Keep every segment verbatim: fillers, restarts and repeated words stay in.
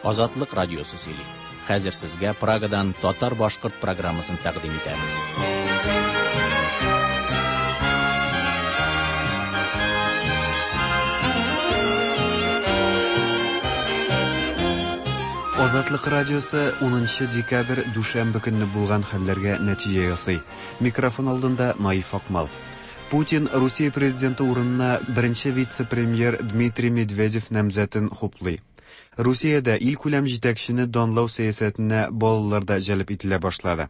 Азатлык радиосы сөйли. Хәзер сезгә Прагадан татар-башкорт программасын тәкъдим итәбез. Азатлык радиосы унынчы декабрь дүшәмбе көнне булган хәлләргә нәтиҗә ясый. Микрофон алдында Наиф Акмал. Путин Русия президенты урынына беренче вице-премьер Дмитрий Медведев намзәтен хуплый. Русиядә илкүләм җитәкчене данлау сәясәтенә балалар да җәлеп ителә башлады.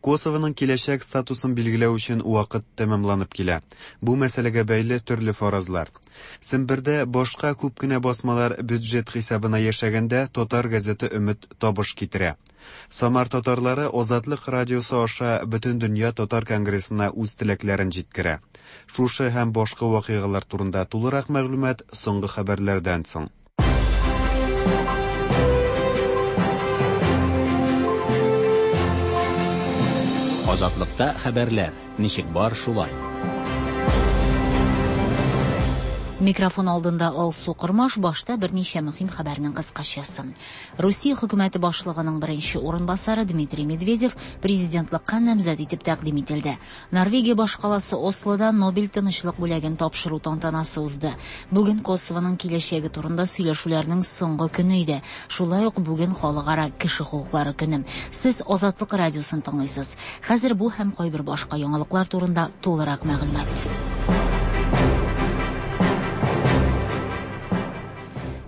Косовоның киләчәк статусын билгеләү өчен вакыт тәмамланып килә. Бу мәсьәләгә бәйле төрле фаразлар. Сембердә башка күп кенә басмалар бюджет хисабына яшәгәндә татар газеты Өмет табыш китерә. Самар татарлары Азатлык радиосы аша Бөтендөнья татар конгрессына үз теләкләрен җиткерә. Шушы һәм башка вакыйгалар турында тулырак мәгълүмат соңгы хәбәрләрдән соң. Азатлыкта хәбәрләр ничек бар шулай. Микрофон алдында Алсу Кормаш, башта берничә мөһим хәбәрнең кыскачасы. Русия хөкүмәте башлыгының беренче урынбасары Дмитрий Медведев президентлыкка намзәт итеп тәкъдим ителде. Норвегия башкаласы Ослода Нобель тынычлык бүләген тапшыру тантанасы узды. Бүген Косовоның киләчәге турында сөйләшүләрнең соңгы көне иде. Шулай ук бүген халыкара кеше хокуклары көне. Сез Азатлык радиосын тыңлыйсыз. Хәзер бу һәм кайбер башка яңалыклар турында тулырак мәгълүмат.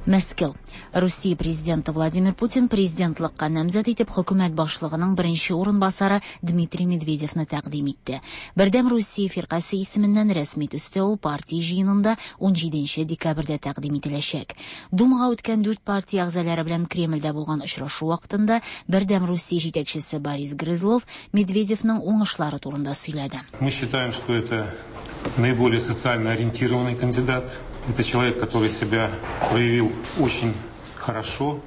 Мәскәү. Русия президенты Владимир Путин президентлыкка намзәт итеп хөкүмәт башлыгының беренче урынбасары Дмитрий Медведевны тәкъдим итте. Бердәм Русия фиркасе исеменнән рәсми төстә ул партия җыенында унҗиденче декабрьдә тәкъдим ителәчәк. Думага үткән дүрт партия әгъзалары белән Кремльдә булган очрашу вакытында Бердәм Русия җитәкчесе Борис Грызлов Медведевның уңышлары турында сөйләде. Мы считаем, что это наиболее социально ориентированный кандидат. Это человек, который себя проявил очень хорошо.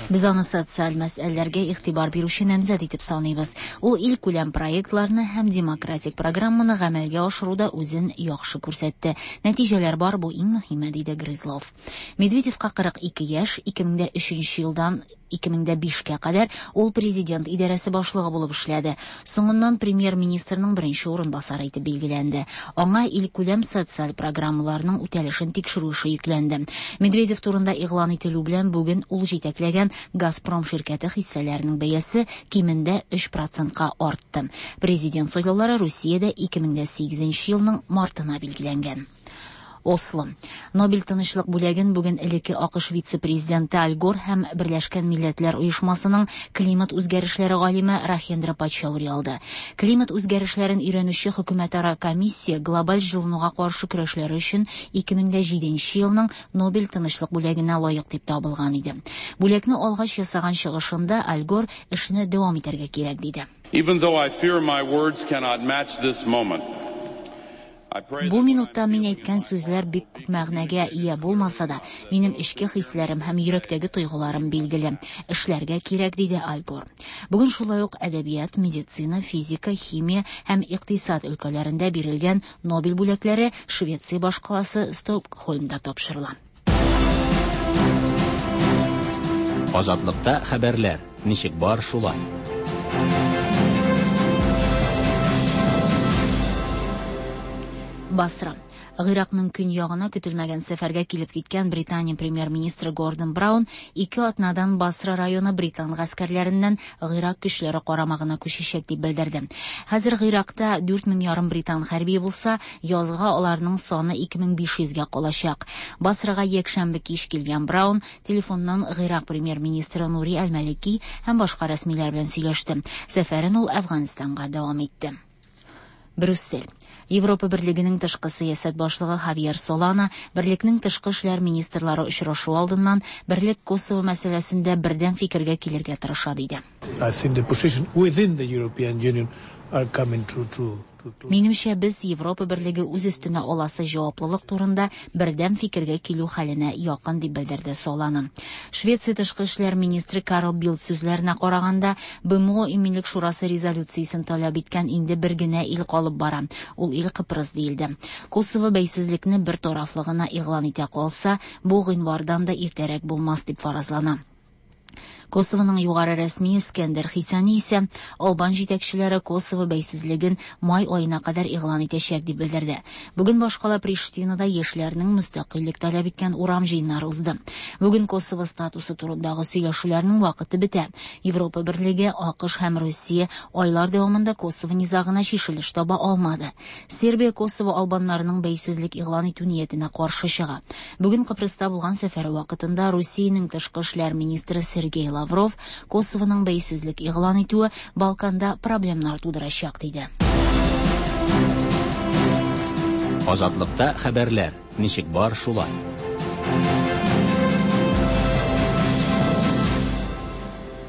Без аны социаль мәсьәләләргә игътибар бирүче намзәт итеп саныйбыз. Ул илкүләм проектларны һәм демократик программаны гамәлгә ашыруда үзен яхшы күрсәтте. Нәтиҗәләр бар, бу иң мөһиме, диде Грызлов. Медведевка кырык ике яшь, ике мең дә өченче елдан ике мең дә бишкә кадәр ул президент идарәсе башлыгы булып эшләде. Соңыннан премьер-министрның беренче урынбасары итеп билгеләнде. Аңа илкүләм социаль программаларның үтәлешен тикшерү эше йөкләнде. Медведев турында игълан ителү белән бүген ул җитәкләгән Газпром ширкәте хиссәләренең бәясе кимендә өч процентка артты. Президент сайлаулары Русиядә ике мең дә сигезенче елның мартына билгеләнгән. Осло. Нобель тынычлык бүләген бүген элекке АКШ вице-президенты Аль Гор һәм Берләшкән Милләтләр Оешмасының климат үзгәрешләре галиме Рахендра Пачаури алды. Климат үзгәрешләрен өйрәнүче хөкүмәтара комиссия глобаль җылынуга каршы көрәшләре өчен ике мең дә җиденче елның Нобель тынычлык бүләгенә лаек дип табылган иде. Бүләкне алгач ясаган чыгышында Аль Гор эшне дәвам итәргә кирәк диде. Even though I fear my words cannot match this moment, Бу минутта мин әйткән сүзләр бик күп мәгънәгә ия булмаса да, минем эчке хисләрем һәм йөрәктәге тойгыларым билгеле. Эшләргә кирәк, диде Аль Гор. Бүген шулай ук әдәбият, медицина, физика, химия һәм икътисад өлкәләрендә бирелгән Нобель бүләкләре Швеция башкаласы Стокһольмда тапшырыла. Азатлыкта хәбәрләр ничек бар шулай. Басра. Гыйракның көньягына көтелмәгән сәфәргә килеп киткән Британия премьер-министры Гордон Браун ике атнадан Басра районы британ гаскәрләреннән Гыйрак көчләре карамагына күчәчәк дип белдерде. Хәзер Гыйракта дүрт мең ярым британ хәрби булса, язга аларның саны ике мең биш йөзгә калачак. Басрага якшәмбе кич килгән Браун телефоннан Гыйрак премьер-министры Нури Аль-Малики һәм башка рәсмиләр белән сөйләште. Сәфәрен ул Әфганстанга дәвам итте. Брюссель. Европа Берлегенең тышкы сәясәт башлыгы Хавьер Солана Берлекнең тышкы эшләр министрлары очрашу алдыннан Берлек Косово мәсьәләсендә бердәм фикергә килергә тырыша диде. I think the position within the European Union are coming to, to, to, to. Минемчә, без Европа Берлеге үз өстенә аласы җаваплылык турында бердәм фикергә килү хәленә якын дип белдерде Солана. Швеция тышкы эшләр министры Карл Билд сүзләренә караганда, Б М О Иминлек Шурасы резолюциясен таләп иткән инде бер генә ил калып бара. Ул ил Кыпрыс диелде. Косово бәйсезлекне бер тарафлы гына игълан итә калса, бу гыйнвардан да иртәрәк булмас дип фаразлана. Косовоның югары рәсми Искәндәр Хисани исә албан җитәкчеләре Косово бәйсезлеген май аена кадәр игълан итәчәк дип белдерде. Бүген башкала Приштинада яшьләрнең мөстәкыйльлек таләп иткән урам җыеннары узды. Бүген Косово статусы турындагы сөйләшүләрнең вакыты бетә. Европа Берлеге, АКШ һәм Русия айлар дәвамында Косово низагына чишелеш таба алмады. Сербия Косово албаннарының бәйсезлек игълан итү ниятенә каршы чыга. Бүген Кыпрыста булган сәфәре вакытында Русиянең тышкы эшләр министры Сергей Лавров Косовоның бәйсезлек игълан итүе Балканда проблемнар тудырачак диде. Азатлыкта хәбәрләр ничек бар шулай.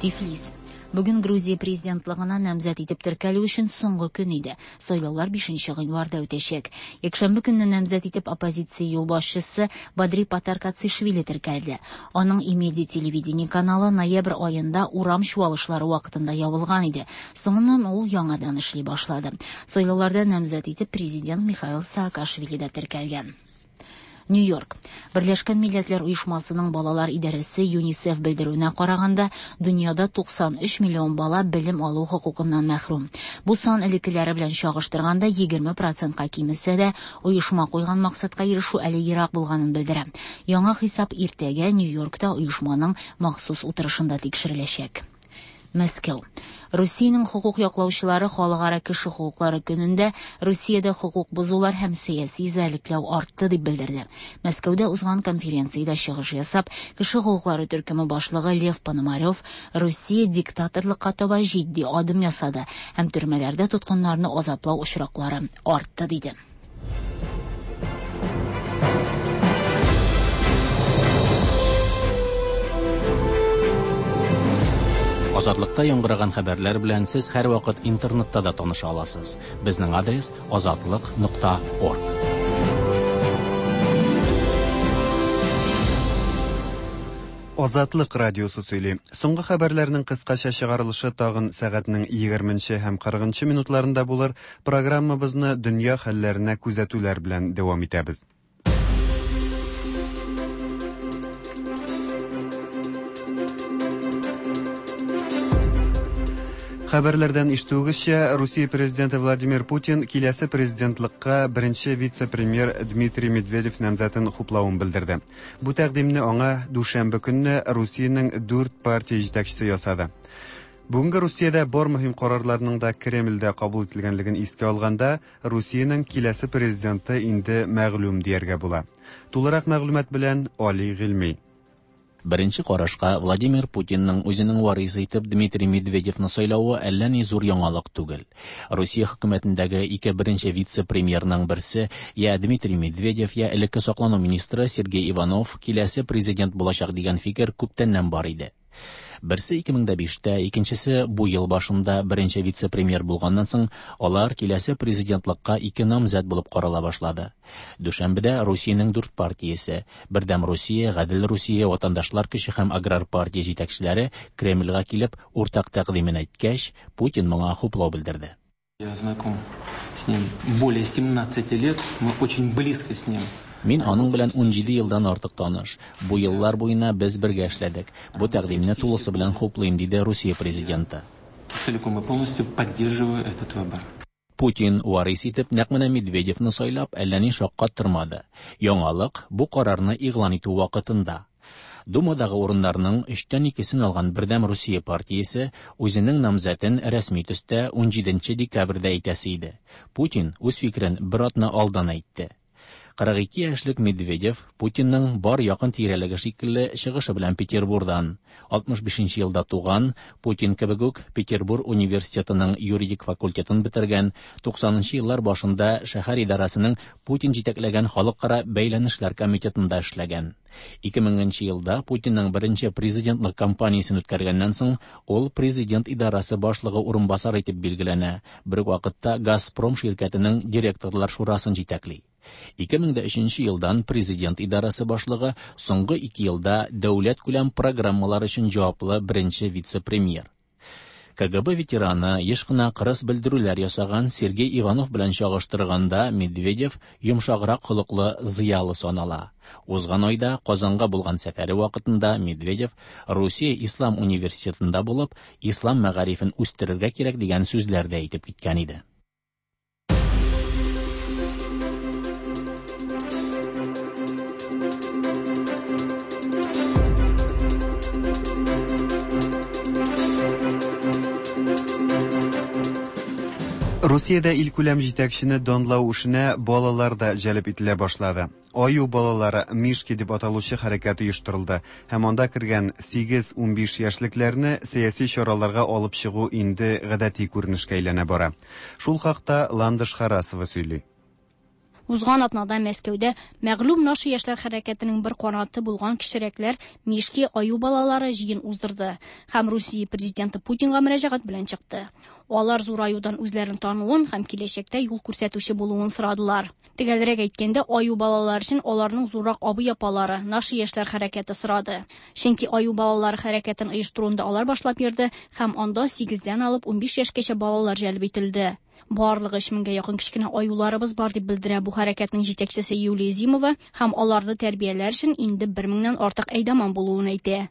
Тифлис. Бүген Грузия президентлыгына намзәт итеп теркәлү өчен соңгы көн иде. Сайлаулар бишенче гыйнварда үтәчәк. Якшәмбе көнне намзәт итеп оппозиция юлбашчысы Бадри Патаркацишвили теркәлде. Аның Имеди телевидение каналы ноябрь аенда урам чуалышлары вакытында ябылган иде. Соңыннан ул яңадан эшли башлады. Сайлауларда намзәт итеп президент Михаил Саакашвили дә теркәлгән. Нью-Йорк. Берләшкән Милләтләр Оешмасының балалар идарәсе ЮНИСЕФ белдерүенә караганда, дөньяда туксан өч миллион бала белем алу хокукыннан мәхрүм. Бу сан элеккеләре белән чагыштырганда егерме процентка кимесә дә, оешма куйган максатка ирешү әле ерак булганын белдерә. Яңа хисап иртәгә Нью-Йоркта оешманың махсус утырышында тикшереләчәк. Мәскәү. Русиянең хокук яклаучылары халыкара кеше хокуклары көнендә Русиядә хокук бозулар һәм сәяси эзәрлекләү артты дип белдерде. Мәскәүдә узган конференциядә чыгыш ясап, кеше хокуклары төркеме башлыгы Лев Пономарев Русия диктаторлыкка таба җитди адым ясады һәм төрмәләрдә тоткыннарны азаплау очраклары артты диде. Азатлыкта яңгыраган хәбәрләр белән сез һәр вакыт интернетта да таныша аласыз. Безнең адрес азатлык нокта орг. Азатлык радиосы сөйли. Соңгы хәбәрләрнең кыскача чыгарылышы тагын сәгатьнең егерменче һәм кырыгынчы минутларында булыр. Программабызны дөнья хәлләренә күзәтүләр белән дәвам итәбез. Хәбәрләрдән ишетүегезчә, Русия президенты Владимир Путин киләсе президентлыкка беренче вице-премьер Дмитрий Медведев намзәтен хуплавын белдерде. Бу тәкъдимне аңа дүшәмбе көнне Русиянең дүрт партия җитәкчесе ясады. Бүгенге Русиядә бар мөһим карарларның да Кремльдә кабул ителгәнлеген искә алганда, Русиянең киләсе президенты инде мәгълүм дияргә була. Тулырак мәгълүмат белән Али Гыйльми. Беренче карашка Владимир Путинның үзенең варисы итеп Дмитрий Медведевны сайлавы әллә ни зур яңалык түгел. Русия хөкүмәтендәге ике беренче вице-премьерның берсе я Дмитрий Медведев, я элекке саклану министры Сергей Иванов киләсе президент булачак дигән фикер күптәннән бар иде. Берсе ике мең дә биштә, икенчесе бу ел башында беренче вице-премьер булганнан соң, алар киләсе президентлыкка ике намзәт булып карала башлады. Дүшәмбедә Русиянең дүрт партиясе, Бердәм Русия, Гадел Русия, Ватандашлар көче һәм Аграр партия җитәкчеләре Кремльгә килеп уртак тәкъдимен әйткәч, Путин моңа хуплау белдерде. Я знаком с ним более семнадцати лет, мы очень близко с ним. Мин аның белән ун җиде елдан артык таныш. Бу еллар буена без бергә эшләдек. Бу тәкъдимне тулысы белән хуплыйм, диде Русия президенты. Целиком и полностью поддерживаю этот выбор. Путин варис итеп нәкъ менә Медведевны сайлап, әллә ни шаккаттырмады. Яңалык бу карарны игълан итү вакытында. Думадагы урыннарның өчтән икесен алган Бердәм Русия партиясе үзенең намзәтен рәсми төстә ун җиденче декабрьдә әйтәсе иде. Путин үз фикерен бер атна алдан әйтте. Кырык ике яшьлек Медведев Путинның бар якын тирәлеге шикелле чыгышы белән Петербурдан. алтмыш бишенче елда туган, Путин кебек үк Петербур университетының юридик факультетын бетергән, туксанынчы еллар башында шәһәр идарәсенең Путин җитәкләгән халыкара бәйләнешләр комитетында эшләгән. Ике меңенче елда Путинның беренче президентлык кампаниясен үткәргәннән соң, ул президент идарәсе башлыгы урынбасары итеп билгеләнә. Бер үк вакытта Газпром ширкәтенең директорлар шурасын җитәкли. Ике мең дә өченче елдан президент идарәсе башлыгы, соңгы ике елда дәүләт күләм программалар өчен җаваплы беренче вице-премьер. К Г Б ветераны, еш кына кырыс белдерүләр ясаган Сергей Иванов белән чагыштырганда Медведев йомшаграк холыклы зыялы санала. Узган айда Казанга булган сәфәре вакытында Медведев Русия Ислам университетында булып, ислам мәгарифен үстерергә кирәк дигән сүзләр дә әйтеп киткән иде. Русиядә илкүләм җитәкчене данлау эшенә балалар да җәлеп ителә башлады. Аю балалары, Мишки дип аталучы хәрәкәт оештырылды һәм анда кергән сигез-унбиш яшьлекләрне сәяси чараларга алып чыгу инде гадәти күренешкә әйләнә бара. Шул хакта Ландыш Харасова сөйли. Узган атнада Мәскәүдә мәгълүм Наши яшьләр хәрәкәтенең бер канаты булган кечерәкләр, Мишки, аю балалары җыен уздырды һәм Русия президенты Путинга мөрәҗәгать белән чыкты. Алар зур аюдан үзләрен тануын һәм киләчәктә юл күрсәтүче булуын сорадылар. Төгәлрәк әйткәндә, аю балалары өчен аларның зуррак абый-апалары, Наши яшьләр хәрәкәте сорады. Чөнки аю балалары хәрәкәтен оештыруында алар башлап йөрде һәм анда сигездән алып унбиш яшькәчә балалар җәлеп ителде. Барлыгы өч меңгә якын кечкенә аюларыбыз бар, дип белдерә бу хәрәкәтнең җитәкчесе Юлия Зимова һәм аларны тәрбияләр өчен инде бер меңнән артык әйдаман булуын әйтә.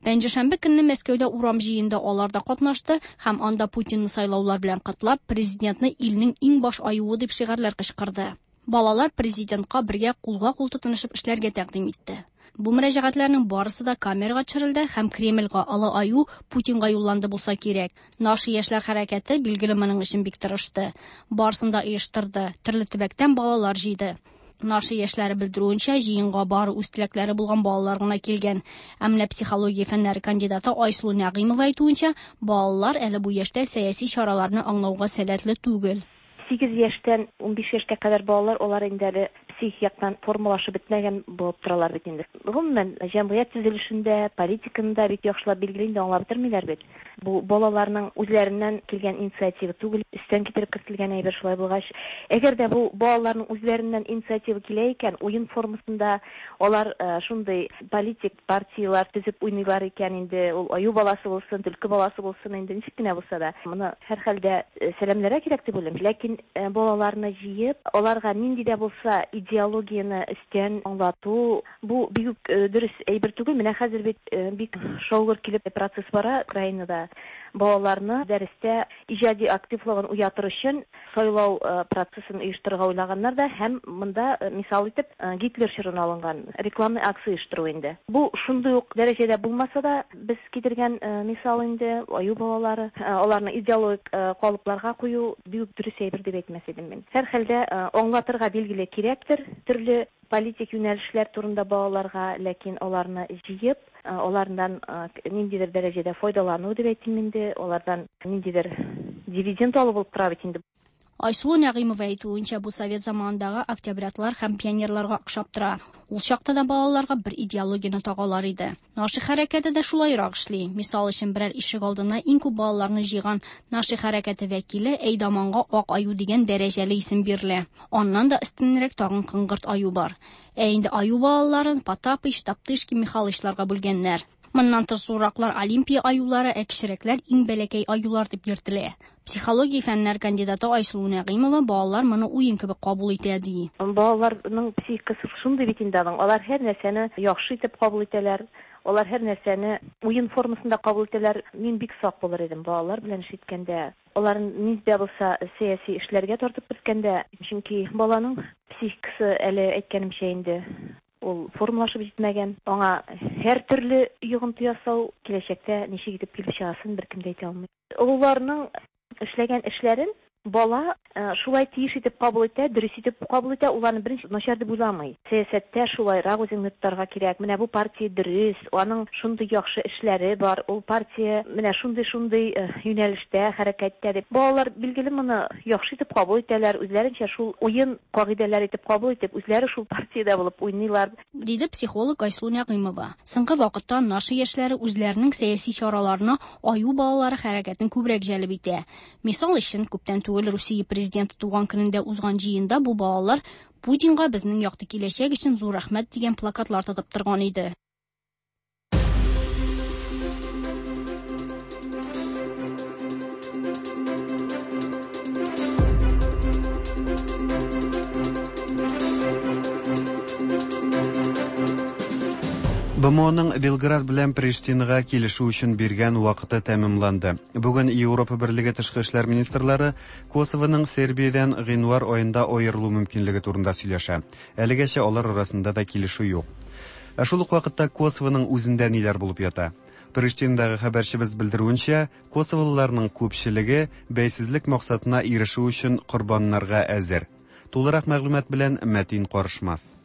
Пәнҗешәмбе көнне Мәскәүдә урам җыенында алар да катнашты һәм анда Путинны сайлаулар белән котлап, президентны илнең иң баш аюы дип шигарьләр кычкырды. Балалар президентка бергә кулга-кул тотынышып эшләргә тәкъдим итте. Бу мөрәҗәгатьләрнең барысы да камерага төшерелде һәм Кремльгә, олы аю Путинга юлланды булса кирәк. Наши яшьләр хәрәкәте билгеле моның өчен бик тырышты. Барысын да оештырды, төрле төбәктән балалар җыйды. Наши яшьләре белдерүенчә, җыенга бары үз теләкләре булган балалар гына килгән. Ә менә психология фәннәре кандидаты Айсылу Нәгыймова әйтүенчә, балалар әле бу яшьтә сәяси чараларны аңлауга сәләтле түгел. Сигез яшьтән унбиш яшькә кадәр балалар, алар инде әле психик яктан формалашып бетмәгән булып торалар бит инде. Гомумән, җәмгыять төзелешендә, политиканы да бик яхшылап билгеле инде аңлап бетермиләр бит. Бу балаларның үзләреннән килгән инициатива түгел, өстән китереп кертелгән әйбер. Шулай булгач, әгәр дә бу балаларның үзләреннән инициатива килә икән, уен формасында алар э, шундый политик партиялар төзеп уйныйлар икән инде, ул аю баласы булсын, төлке баласы булсын инде, ничек кенә булса да, моны һәрхәлдә э, сәламләргә кирәк дип уйлыйм. Ләкин э, балаларны җыеп, аларга нинди дә булса идеологияне өстән аңлату, бу бик үк дөрес әйбер түгел. Менә хәзер бит бик шау-гөр килеп процесс бара Украинада. Балаларны дәрестә иҗади активлыгын уятыр өчен сайлау процессын оештырырга уйлаганнар да һәм монда мисал итеп Гитлер чорын алынган рекламный акция оештыру инде. Бу шундый ук дәрәҗәдә булмаса да, без китергән мисал инде аю балалары, аларны идеологик калыпларга кую бик дөрес әйбер дип әйтмәс идем мин. Һәрхәлдә аңлатырга билгеле кирәктер төрле политик юнәлешләр турында балаларга, ләкин аларны җыеп, алардан ниндидер дәрәҗәдә файдалану дип әйтим инде, алардан ниндидер дивиденд алу булып тора бит инде. Айсылу Нәгыймова әйтүенчә, бу совет заманындагы октябрятлар һәм пионерларга охшап тора. Ул чакта да балаларга бер идеологияне тагалар иде. Наши хәрәкәте дә шулайрак эшли. Мисал өчен, берәр ишек алдына иң күп балаларны җыйган Наши хәрәкәте вәкиле әйдаманга ак аю дигән дәрәҗәле исем бирелә. Аннан да өстенрәк тагын кыңгырт аю бар. Ә инде аю балаларын Потапыч, Топтышки, Михалычларга бүлгәннәр. Моннан тыш зурраклар Олимпия аюлары, ә кечерәкләр иң бәләкәй аюлар дип йөртелә. Психология фәннәр кандидаты Айсылу Нәгыймова балалар моны уен кебек кабул итә ди. Балаларның психикасы шундый бит инде аның. Алар һәр нәрсәне яхшы итеп кабул итәләр. Алар һәр нәрсәне уен формасында кабул итәләр. Мин бик сак булыр идем балалар белән эш иткәндә. Аларын нинди дә булса сәяси эшләргә тартып керткәндә, чөнки баланың психикасы әле әйткәнемчә инде ул формалашып җитмәгән. Аңа һәр төрле йогынты ясау киләчәктә ничек итеп килеп чыгасын беркем дә әйтә алмый. Олыларның эшләгән эшләрен бала шулай тиеш итеп кабул итә, дөрес итеп кабул итә, уларны беренче начар дип уйламый. Сәясәттә шулайрак үзеңне тотарга кирәк. Менә бу партия дөрес, аның шундый яхшы эшләре бар, ул партия менә шундый-шундый юнәлештә, хәрәкәттә дип. Балалар билгеле моны яхшы итеп кабул итәләр, үзләренчә шул уен кагыйдәләре итеп кабул итеп, үзләре шул партиядә булып уйныйлар, диде психолог Айсылу Нәгыймова. Соңгы вакытта Наши яшьләре үзләренең сәяси чараларына аю балалары хәрәкәтен күбрәк җәлеп итә. Мисал өчен, күптән түгел Русия президенты туган көнендә узган җыенда бу балалар Путинга безнең якты киләчәк өчен зур рәхмәт дигән плакатлар тотып торган иде. БМОның Белград белән Приштинага килешү өчен биргән вакыты тәмамланды. Бүген Европа Берлеге тышкы эшләр министрлары Косовоның Сербиядән гыйнвар аенда аерылу мөмкинлеге турында сөйләшә. Әлегәчә алар арасында да килешү юк. Ә шул ук вакытта Косовоның үзендә ниләр булып ята? Приштинадагы хәбәрчебез белдерүенчә, косоволыларның күпчелеге бәйсезлек максатына ирешү өчен корбаннарга әзер. Тулырак мәгълүмат белән Мәтин Карышмас.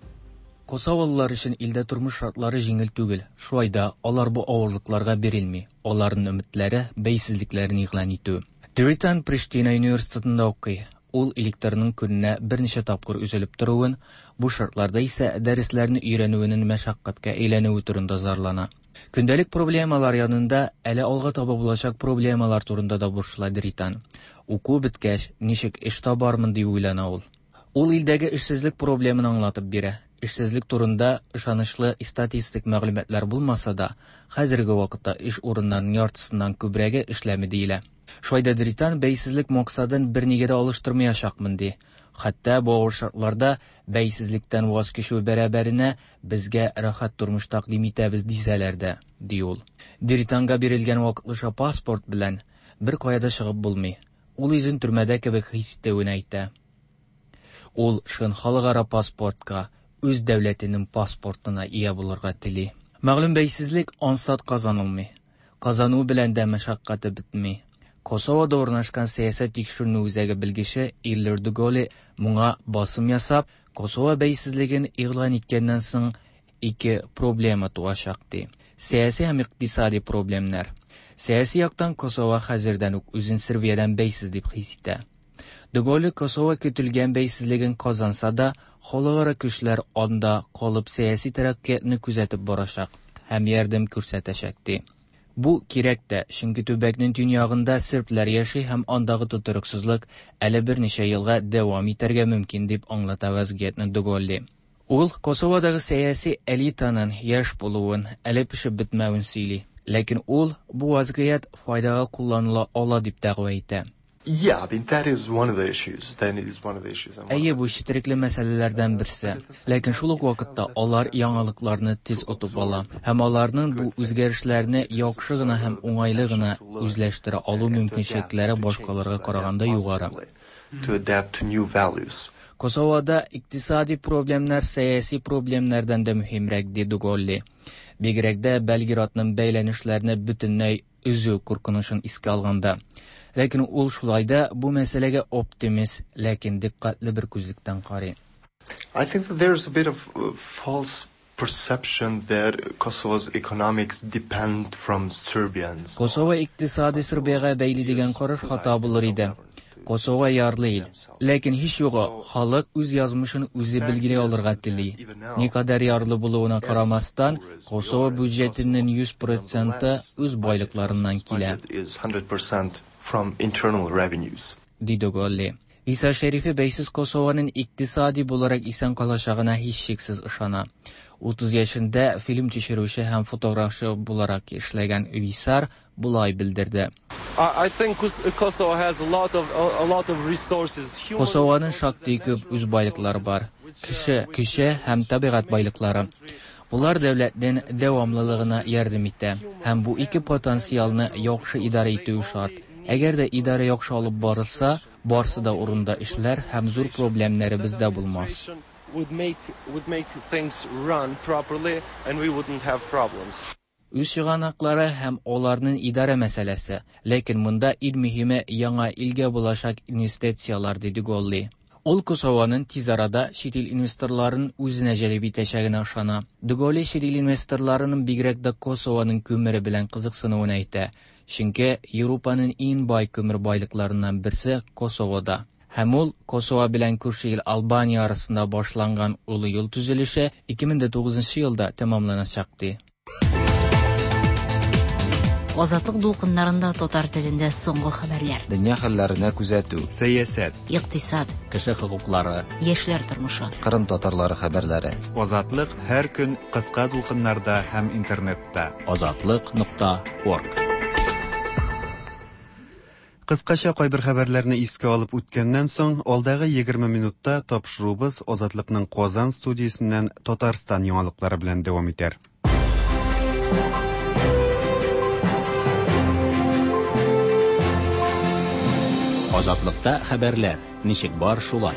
Косоволылар өчен илдә тормыш шартлары җиңел түгел. Шулай да алар бу авырлыкларга бирелми. Аларның өметләре бәйсезлекләрен игълан итү. Дритан Приштина университетында укый. Ул электрның көненә берничә тапкыр өзелеп торуын, бу шартларда исә дәресләрне өйрәнүенең мәшәкатькә әйләнүе турында зарлана. Көндәлек проблемалар янында әле алга таба булачак проблемалар турында да борчыла Дритан. Уку беткәч, ничек эш табармын дип уйлана ул. Ул илдәге эшсезлек проблемын аңлатып бирә. Эшсезлек турында ышанычлы статистик мәгълүматлар булмаса да, хәзерге вакытта эш урыннарының яртысыннан күбрәге эшләми диелә. Шулай да Дритан бәйсезлек максатын бернигә дә алыштырмаячакмын ди. Хәтта бу авыр шартларда бәйсезлектән ваз кичү бәрабәренә безгә рәхәт тормыш тәкъдим итәбез дисәләр дә, ди ул. Дританга бирелгән вакытлыча паспорт белән бер кая да чыгып булмый. Ул үзен төрмәдә кебек хис итүен әйтә. Ул чын халыкара паспортка, үз дәүләтенең паспортына ия булырга тели. Мәгълүм бәйсезлек ансат казанылмый. Казану белән дә мәшәкате бетми. Косовода урнашкан сәясәт тикшеренү үзәге белгече Иллер Дуголи моңа басым ясап, Косово бәйсезлеген игълан иткәннән соң ике проблема туачак ди. Сәяси һәм икътисади проблемнар. Сәяси яктан Косово хәзердән үк үзен Сербиядән бәйсез дип хис итә. Дуголи Косово көтелгән бәйсезлеген казанса да, халыкара көчләр анда калып сәяси тәрәккыятны күзәтеп барачак һәм ярдәм күрсәтәчәк ди. Бу кирәк тә, чөнки төбәкнең төньягында сербләр яши һәм андагы тотрыксызлык әле берничә елга дәвам итәргә мөмкин дип аңлата вазгыятьне Дуголи. Ул Косоводагы сәяси элитаның яшь булуын, әле пешеп бетмәвен сөйли. Ләкин ул бу вазгыять файдага кулланыла ала дип дәгъва итә. Yeah, I mean, that is one of the issues. That is one of the issues. Әйе, бу четерекле мәсьәләләрдән берсе. Ләкин шул ук вакытта алар яңалыкларны тиз отып ала һәм аларның бу үзгәрешләрне яхшы гына һәм уңайлы гына үзләштерә алу мөмкинчелекләре башкаларга караганда югары. To adapt to new values. Косовода икътисади проблемнар сәяси проблемнардан да мөһимрәк, ди Дуголли. Бигрәк дә Белградның бәйләнешләрне бөтенләй өзү куркынычын искә алганда. Ләкин ул шулай да бу мәсьәләгә оптимист, ләкин дикъкатьле бер күзлектән карый. I think that there is a bit of false perception that Kosovo's economics depend from Serbians. Косово икътисады Сербиягә бәйле дигән караш хата булыр иде. Косово ярлы ил. Ләкин һич югы халык үз язмышын үзе билгели алырга тели. Никадәр ярлы булуына карамастан, Косово бюджетының йөз проценты үз байлыкларыннан килә. From internal revenues. Ди Дуголли. Висар Шәрифе бәйсез Косованың икътисади буларак исән калачагына һичшиксез ышана. Утыз яшендә фильм төшерүче һәм фотографчы буларак эшләгән Висар болай белдерде. I think Kosovo has a lot of a lot of resources. Косованың шактый күп үз байлыклары бар. Кеше, көче һәм табигать байлыклары. Булар дәүләтнең дәвамлылыгына ярдәм итә һәм бу ике потенциалны яхшы идарә итү шарт. Әгәр дә идарә яхшы алып барылса, барсы да урында эшләр һәм зур проблемнәребез дә булмас. Would make, would make things run properly and we wouldn't have problems. Үз чыганаклары һәм аларның идарә мәсьәләсе, ләкин монда иң мөһиме яңа илгә булачак инвестицияләр, диде Голли. Ул Косованың тиз арада чит ил инвесторларын үзенә җәлеп итәчәгенә ышана. Дуголли чит ил инвесторларының бигрәк дә Косованың күмере белән кызыксынуын әйтә. Чөнки Европаның иң бай күмер байлыкларыннан берсе Косовода. Һәм ул Косово белән күрше ил Албания арасында башланган олы юл төзелеше ике мең тугызынчы елда тәмамланачак ди. Азатлык дулкыннарында татар телендә соңгы хәбәрләр. Дөнья хәлләренә күзәтү, сәясәт, икътисад, кеше хокуклары, яшьләр тормышы, Кырым татарлары хәбәрләре. Азатлык һәр көн кыска дулкыннарда һәм интернетта. Азатлык нокта орг. Кыскача кайбер хәбәрләрне искә алып үткәннән соң, алдагы егерме минутта тапшыруыбыз Азатлыкның Казан студиясеннән Татарстан яңалыклары белән дәвам итәр. Азатлыкта хәбәрләр ничек бар шулай.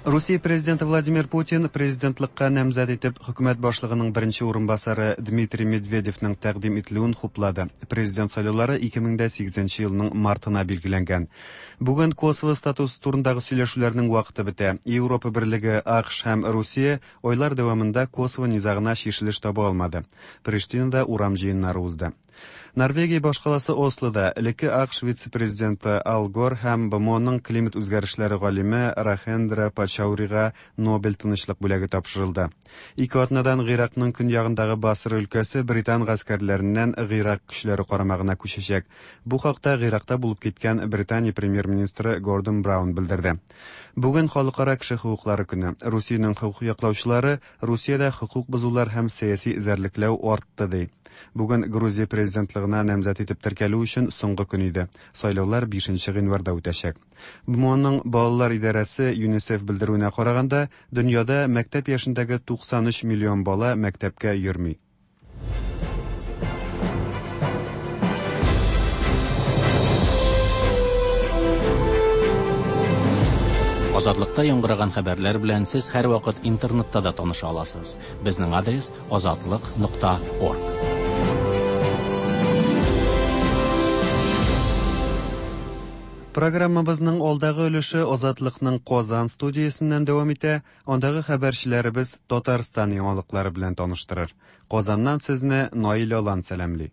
Русия президенты Владимир Путин президентлыкка намзәт итеп хөкүмәт башлыгының беренче урынбасары Дмитрий Медведевның тәкъдим ителүен хуплады. Президент сайлаулары ике мең дә сигезенче елның мартына билгеләнгән. Бүген Косово статусы турындагы сөйләшүләрнең вакыты бетә. Европа Берлеге, АКШ һәм Русия айлар дәвамында Косово низагына чишелеш таба алмады. Приштинада урам җыеннары узды. Норвегия башкаласы Ослода элекке АКШ вице-президенты Ал Гор һәм БМОның климат үзгәрешләре галиме Рахендра Пачаурига Нобель тынычлык бүләге тапшырылды. Ике атнадан Гыйракның көньягындагы Басра өлкәсе британ гаскәрләреннән Гыйрак көчләре карамагына күчәчәк. Бу хакта Гыйракта булып киткән Британия премьер-министры Гордон Браун белдерде. Бүген халыкара кеше хокуклары көне. Русиянең хокук яклаучылары Русиядә хокук бозулар һәм сәяси эзәрлекләү артты ди. Бүген Грузия президентлыгына намзәт итеп теркәлү өчен соңгы көн иде. Сайлаулар бишенче гыйнварда үтәчәк. БМОның балалар идарәсе ЮНИСЕФ белдерүенә караганда, дөньяда мәктәп яшендәге туксан өч миллион бала мәктәпкә йөрми. Азатлыкта яңгыраган хәбәрләр белән сез һәрвакыт интернетта да таныша аласыз. Безнең адрес азатлык нокта орг. Программабызның алдагы өлеше Азатлыкның Казан студиясеннән дәвам итә. Андагы хәбәрчеләребез Татарстан яңалыклары белән таныштырыр. Казаннан сезне Наил Алан сәламли.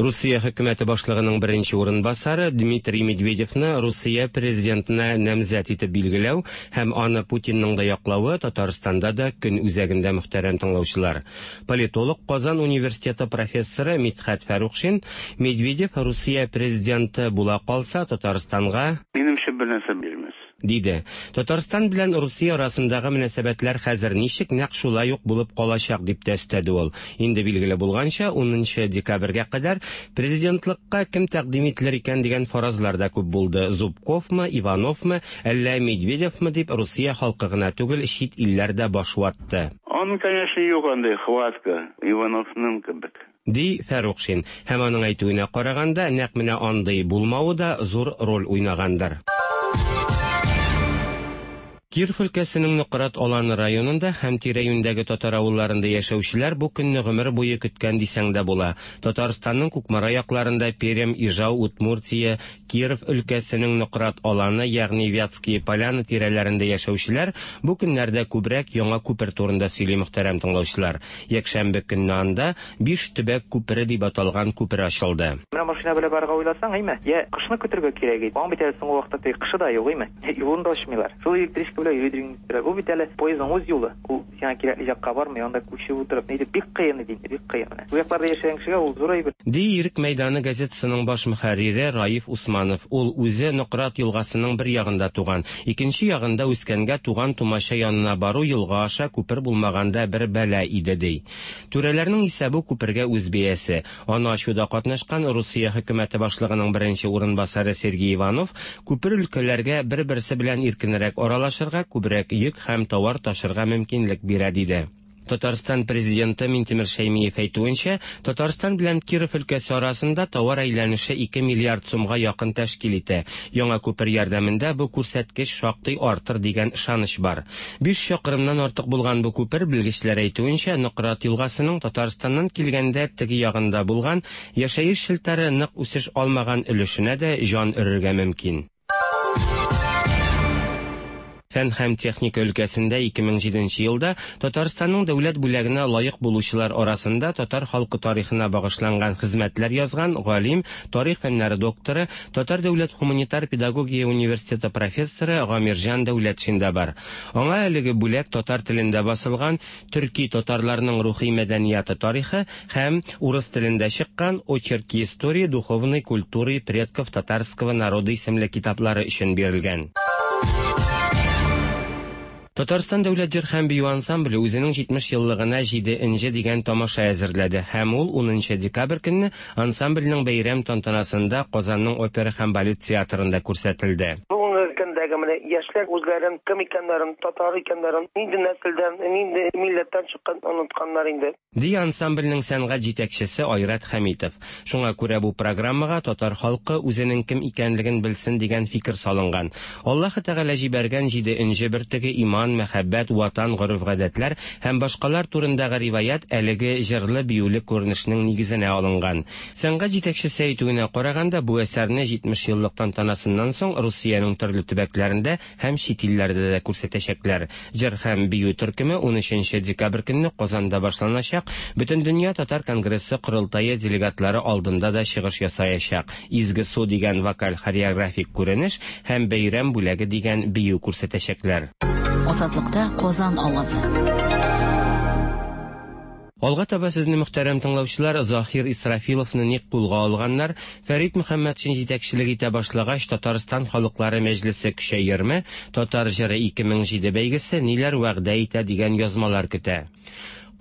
Русия хөкүмәте башлыгының беренче урынбасары Дмитрий Медведевны Русия президентына намзәт итеп билгеләү һәм аны Путинның да яклавы Татарстанда да көн үзәгендә, мөхтәрәм тыңлаучылар. Политолог, Казан университеты профессоры Мидхәт Фәрухшин Медведев Русия президенты була калса Татарстанга минемчә бер нәрсә бирмәс диде. Татарстан белән Русия арасындагы мөнәсәбәтләр хәзер ничек, нәкъ шулай ук булып калачак дип тә өстәде ул. Инде билгеле булганча, унынчы декабрьгә кадәр президентлыкка кем тәкъдим ителер икән дигән фаразлар да күп булды. Зубковмы, Ивановмы, әллә Медведевмы дип Русия халкы гына түгел, чит илләр дә баш ватты. Он, конечно, юк андый хватка Ивановның кебек, ди Фәрухшин. Һәм аның әйтүенә караганда, нәкъ менә андый булмавы да зур роль уйнагандыр. Киров өлкәсенең Нократ Аланы районында һәм тирә-юньдәге татар авылларында яшәүчеләр бу көнне гомер буе көткән дисәң дә була. Татарстанның Кукмара якларында Пермь, Ижау, Удмуртия, Киров өлкәсенең Нократ Аланы, ягъни Вятские Поляны тирәләрендә яшәүчеләр бу көннәрдә күбрәк яңа күпер турында сөйли, мөхтәрәм тыңлаучылар. Якшәмбе көнне анда биш төбәк күпере дип аталган күпер ачылды. Менә машина белән барырга уйласаң, әйме? Я кышны көтәргә кирәк иде. Аның бит әле соңгы вакытта теге кышы да юк, әйме? Юлын да ачмыйлар. Шул электричка белән бу бит әле поездның үз юлы. Ул сиңа кирәкле якка бармый, анда күчеп утырып, нидер бик кыен иде, бик кыен. Бу якларда яшәгән кешегә ул зур әйбер. Ди Ирек мәйданы газетасының баш мөхәррире Раиф Усманов. Ул үзе Нократ елгасының бер ягында туган, икенче ягында үскәнгә туган тумаша янына бару елга аша күпер булмаганда бер бәла иде, ди. Түрәләрнең исә бу күпергә үз бәясе. Аны ачуда катнашкан Русия хөкүмәте башлыгының беренче урынбасары Сергей Иванов күпер өлкәләргә бер-берсе белән иркенрәк аралашырга, күбрәк йөк һәм товар ташырга мөмкинлек бирә, диде. Татарстан президенты Минтимер Шәймиев әйтүенчә, Татарстан белән Киров өлкәсе арасында товар әйләнеше ике миллиард сумга якын тәшкил итә. Яңа күпер ярдәмендә бу күрсәткеч шактый артыр дигән ышаныч бар. Биш чакрымнан артык булган бу күпер, белгечләр әйтүенчә, Нократ елгасының Татарстаннан килгәндә теге ягында булган яшәеш челтәре нык үсеш алмаган өлешенә дә җан өрергә мөмкин. Фән һәм техника өлкәсендә ике мең җиденче елда Татарстанның дәүләт бүләгенә лаек булучылар арасында татар халкы тарихына багышланган хезмәтләр язган галим, тарих фәннәре докторы, Татар дәүләт гуманитар педагогия университеты профессоры Гамирҗан Дәүләтшин дә бар. Аңа әлеге бүләк татар телендә басылган Төрки татарларның рухи мәдәнияты тарихы һәм урыс телендә чыккан Очерки истории духовной культуры предков татарского народа исемле китаплары өчен бирелгән. Татарстан дәүләт җыр һәм бию ансамбле үзенең җитмеш еллыгына җиде энҗе дигән тамаша әзерләде һәм ул унынчы декабрь көнне ансамбльнең бәйрәм тантанасында Казанның опера һәм балет театрында күрсәтелде. Бүгенге көндә Киләчәктәге менә яшьләр үзләрен кем икәннәрен, татар икәннәрен, нинди нәселдән, нинди милләттән чыккан онытканнар инде. Ди ансамбльнең сәнгать җитәкчесе Айрат Хәмитов. Шуңа күрә бу программага татар халкы үзенең кем икәнлеген белсен дигән фикер салынган. Аллаһы Тәгалә җибәргән җиде энҗе бөртеге иман, мәхәббәт, ватан, гореф-гадәтләр һәм башкалар турындагы риваять әлеге җырлы-биюле күренешнең нигезенә алынган. Сәнгать җитәкчесе әйтүенә караганда, бу әсәрне җитмеш еллык тантанасыннан соң Русиянең төрле төбәкләрендә һәм чит илләрдә дә күрсәтәчәкләр. Җыр һәм бию төркеме унөченче декабрь көнне Казанда башланачак. Бөтендөнья татар конгрессы корылтае делегатлары алдында да чыгыш ясаячак. Изге су дигән вокаль хореографик күренеш һәм бәйрәм бүләге дигән бию күрсәтәчәкләр. Азатлыкта Казан авазы. Алга таба сезне, мөхтәрәм тыңлаучылар, Заһир Исрафиловны ник кулга алганнар, Фәрит Мөхәммәтшин җитәкчелек итә башлагач, Татарстан халыклары мәҗлесе көчәерме, Татар җыры ике мең җиде бәйгесе ниләр вәгъдә итә дигән язмалар көтә.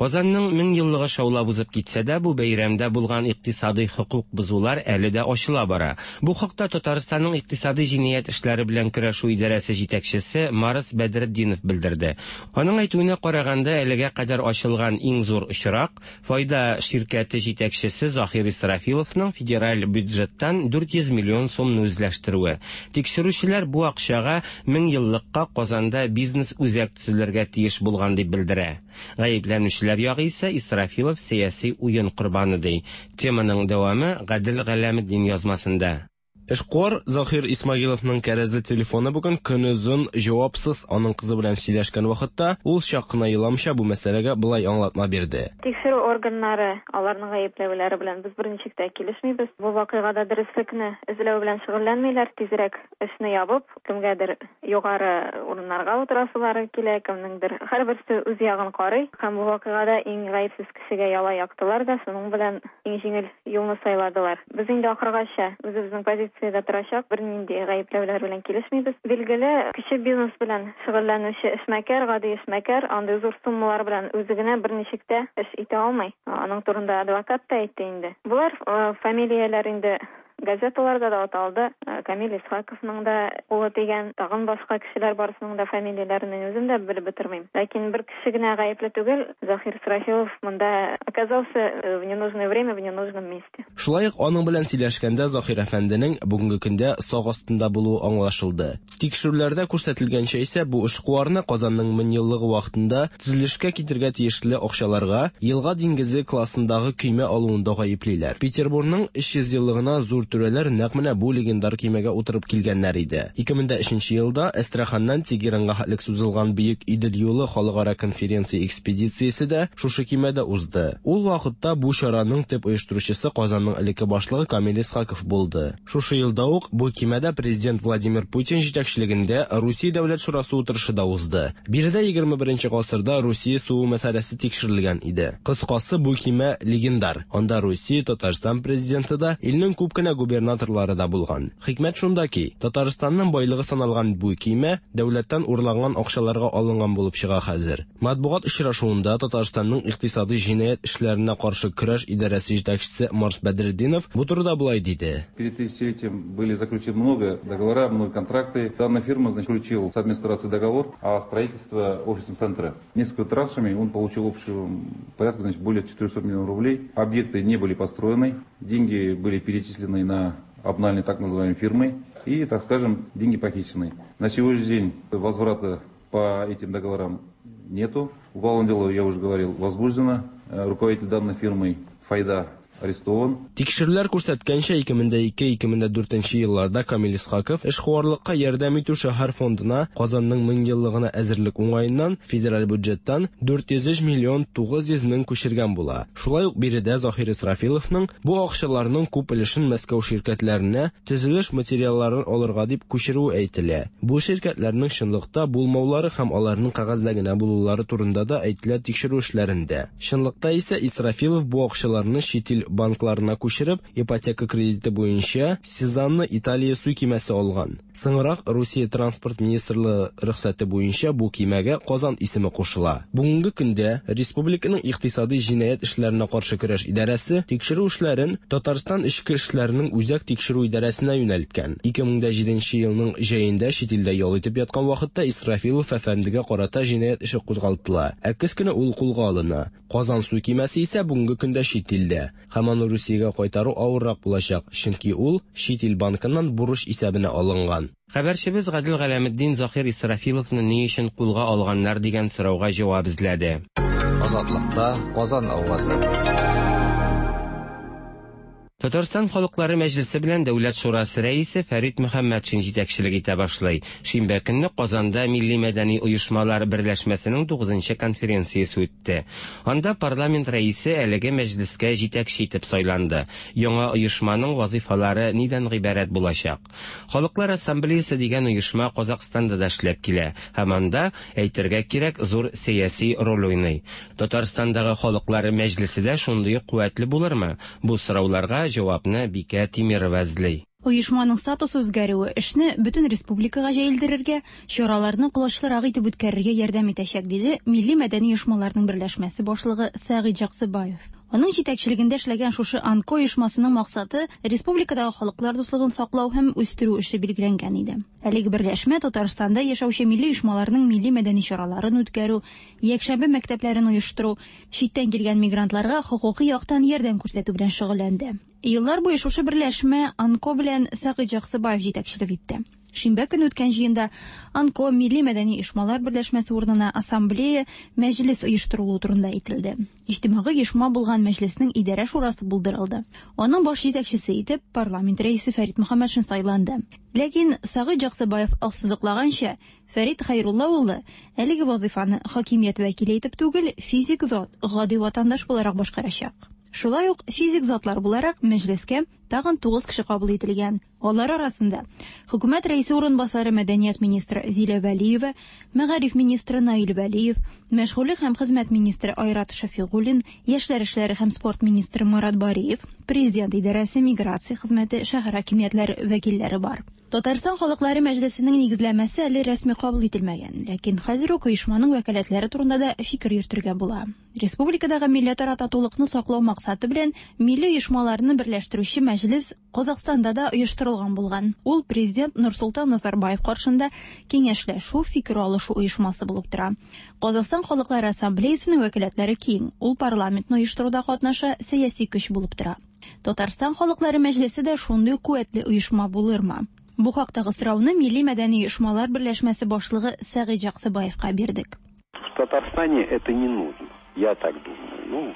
Казанның мең еллыгы шаулап узып китсә дә, бу бәйрәмдә булган икътисади хокук бозулар әле дә ачыла бара. Бу хакта Татарстанның икътисади җинаять эшләре белән көрәшү идарәсе җитәкчесе Марс Бәдретдинов белдерде. Аның әйтүенә караганда, әлегә кадәр ачылган иң зур очрак Файда ширкәте җитәкчесе Заһир Исрафиловның федераль бюджеттан дүрт йөз миллион сумны үзләштерүе. Тикшерүчеләр бу акчага мең еллыкка Казанда бизнес үзәк төзелергә тиеш булган дип белдерә. Гаепләнүчеләр ягы исә Исрафилов сәяси уен корбаны ди. Теманың дәвамы Гадел Галәметдин язмасында. Эшкуар Заһир Исмагиловның кәрәзле телефоны бүген көнозын җавапсыз. Аның кызы белән сөйләшкән вакытта ул чак кына еламча бу мәсьәләгә былай аңлатма бирде. Тикшерү органнары аларның гаепләүләре белән без берничек тә килешмибез. Бу вакыйгада дөреслекне эзләү белән шөгыльләнмиләр, тизрәк эшне ябып, кемгәдер югары урыннарга утырасылары килә, кемнеңдер һәрберсе үз ягын карый. Һәм бу вакыйгада иң гаепсез кешегә яла яктылар да, шуның белән иң җиңел юлны сайладылар. Без инде ахыргача үзебезнең позиция да торачак, бернинди гаепләүләр белән килешмибез. Билгеле, кече бизнес белән шөгыльләнүче эшмәкәр, гади эшмәкәр андый зур суммалар белән үзе генә берничек тә эш итә алмый. Аның турында адвокат та әйтте инде. Булар фамилияләр инде газеталарда да аталды. Камил Исхаковның да кулы тигән, тагын башка кешеләр барысының да фамилияләрен мин үзем дә белеп бетермим. Ләкин бер кеше генә гаепле түгел, Заһир Исрафилов монда оказался в ненужное время, в ненужном месте. Шулай ук аның белән сөйләшкәндә Заһир әфәнденең бүгенге көндә сак астында булуы аңлашылды. Тикшерүләрдә күрсәтелгәнчә исә бу эшкуарны Казанның мең еллыгы вакытында төзелешкә китергә тиешле акчаларга Елга диңгезе классындагы көймә алуында гаеплиләр. Петербургның өч йөз еллыгына зур түрәләр нәкъ менә бу легендар көймәгә утырып килгәннәр иде. ике мең өченче елда Әстраханнан Тегеранга хәтлек сузылган Бөек Идел юлы халыкара конференция экспедициясе дә шушы көймәдә узды. Ул вакытта бу чараның төп оештыручысы Казанның элекке башлыгы Камил Исхаков булды. Шушы елда ук бу көймәдә президент Владимир Путин җитәкчелегендә Русия Дәүләт Шурасы утырышы да узды. Биредә егерме беренче гасырда Русия суы мәсьәләсе тикшерелгән иде. Кыскасы, бу көймә легендар. Анда Русия, Татарстан президенты да, илнең күп кенә губернаторлары да булган. Хикмәт шунда ки, Татарстанның байлыгы саналган бу көймә дәүләттән урланган акчаларга алынган булып чыга хәзер. Матбугат очрашуында Татарстанның икътисади җинаять эшләренә каршы көрәш идарәсе җитәкчесе Марс Бәдретдинов бу турыда болай диде. Перед тысячелетием были заключены много договора, много контракты. Данная фирма, значит, заключила с администрацией договор о строительстве офисного центра. Несколько траншами он получил общего порядка, значит, более четырёхсот миллионов рублей. Объекты не были построены, деньги были перечислены на обнальные так называемые фирмы и, так скажем, деньги похищены. На сегодняшний день возврата по этим договорам нету. Уголовное дело, я уже говорил, возбуждено. Руководитель данной фирмы Файда арестован. Тикшерүләр күрсәткәнчә, ике мең ике - ике мең дүртенче елларда Камил Исхаков эшкуарлыкка ярдәм итү шәһәр фондына Казанның мең еллыгына әзерлек уңаеннан федераль бюджеттан дүрт йөз өч миллион тугыз йөз мең күчергән була. Шулай ук биредә Заһир Исрафиловның бу акчаларның күп өлешен Мәскәү ширкәтләренә төзелеш материалларын алырга дип күчерүе әйтелә. Бу ширкәтләрнең чынлыкта булмаулары һәм аларның кәгазьдә генә булулары турында да әйтелә тикшерү эшләрендә. Чынлыкта исә Исрафилов бу акчаларны чит ил банкларына күчереп, ипотека кредиты буенча Сезанна Италия су кимәсе алган. Соңрак Русия транспорт министрлыгы рөхсәте буенча бу кимәгә Казан исеме кушыла. Бүгенге көндә республиканың икътисади җинаять эшләренә каршы көрәш идарәсе тикшерү эшләрен Татарстан эчке эшләренең үзәк тикшерү идарәсенә юнәлткән. ике мең дә җиденче елның җәендә чит илдә ял итеп яткан вакытта Исрафилов әфәндегә карата җинаять эше кузгалтыла. Ә көз көне ул кулга алына. Казан су кимәсе исә бүгенге көндә чит илдә. Һәм аны Русиягә кайтару авыррак булачак, чөнки ул чит ил банкыннан бурыч исәбенә алынган. Хәбәрчебез Гадел Галәметдин Заһир Исрафиловны ни өчен кулга алганнар дигән сорауга җавап эзләде. Азатлыкта Казан авазы. Татарстан халыклары мәҗлесе белән Дәүләт шурасы рәисе Фәрит Мөхәммәтшин җитәкчелек итә башлый. Шимбә көнне Казанда Милли мәдәни оешмалар берләшмәсенең тугызынчы конференциясе үтте. Анда парламент рәисе әлеге мәҗлескә җитәкче итеп сайланды. Яңа оешманың вазифалары нидән гыйбарәт булачак? Халыклар ассамблеясы дигән оешма Казахстанда да эшләп килә һәм анда, әйтергә кирәк, зур сәяси роль уйный. Татарстандагы халыклар мәҗлесе дә шундый ук куәтле булырмы? Бу сорауларга җавапны Бикә Тимирова эзли. Оешманың статусы үзгәрүе эшне бөтен республикага җәелдерергә, чараларны колачлырак итеп үткәрергә ярдәм итәчәк, диде Милли мәдәни оешмаларның берләшмәсе башлыгы Сәгыйть Җаксыбаев. Аның җитәкчелегендә эшләгән шушы АНКО оешмасының максаты республикадагы халыклар дуслыгын саклау һәм үстерү эше билгеләнгән иде. Әлеге берләшмә Татарстанда яшәүче милли оешмаларның милли мәдәни чараларын үткәрү, якшәмбе мәктәпләрен оештыру, читтән килгән мигрантларга хокукый яктан ярдәм күрсәтү белән шөгыльләнде. Еллар буе шушы берләшмә АНКО белән Сәгыйть Җаксыбаев җитәкчелек итте. Шимбә көне үткән җыенда АНКО Милли мәдәни оешмалар берләшмәсе урынына ассамблея мәҗлес оештырылуы турында әйтелде. Иҗтимагый оешма булган мәҗлеснең идарә шурасы булдырылды. Аның баш җитәкчесе итеп парламент рәисе Фәрит Мөхәммәтшин сайланды. Ләкин Сәгыйть Җаксыбаев ассызыклаганча, Фәрит Хәйрулла улы әлеге вазифаны хакимият вәкиле итеп түгел, физик зат, гади ватандаш буларак башкарачак. Шулай ук физик затлар буларак мәҗлескә тагын тугыз кеше кабул ителгән. Алар арасында хөкүмәт рәисе урынбасары мәдәният министры Зилә Вәлиева, мәгариф министры Наил Вәлиев, мәшгульлек һәм хезмәт министры Айрат Шәфигуллин, яшьләр эшләре һәм спорт министры Марат Бариев, президент идарәсе, миграция хезмәте, шәһәр хакимиятләре вәкилләре бар. Татарстан халыклары мәҗлесенең нигезләмәсе әле рәсми кабул ителмәгән, ләкин хәзер үк оешманың вәкаләтләре турында да фикер йөртергә була. Республикадагы милләтара татулыкны саклау максаты белән милли оешмаларны берләштерүче мәҗлес Казахстанда да оештырылган булган. Ул президент Нурсултан Назарбаев каршында киңәшләшү, фикер алышу оешмасы булып тора. Казахстан халыклары ассамблеясының вәкаләтләре киң. Ул парламентны оештыруда катнаша, сәяси көч булып тора. Татарстан халыклары мәҗлесе дә шундый куәтле оешма булырмы? Бу хактагы сорауны Милли мәдәни оешмалар берләшмәсе башлыгы Сәгыйть Җаксыбаевка бирдек. В Татарстане это не нужно. Я так думаю. Ну,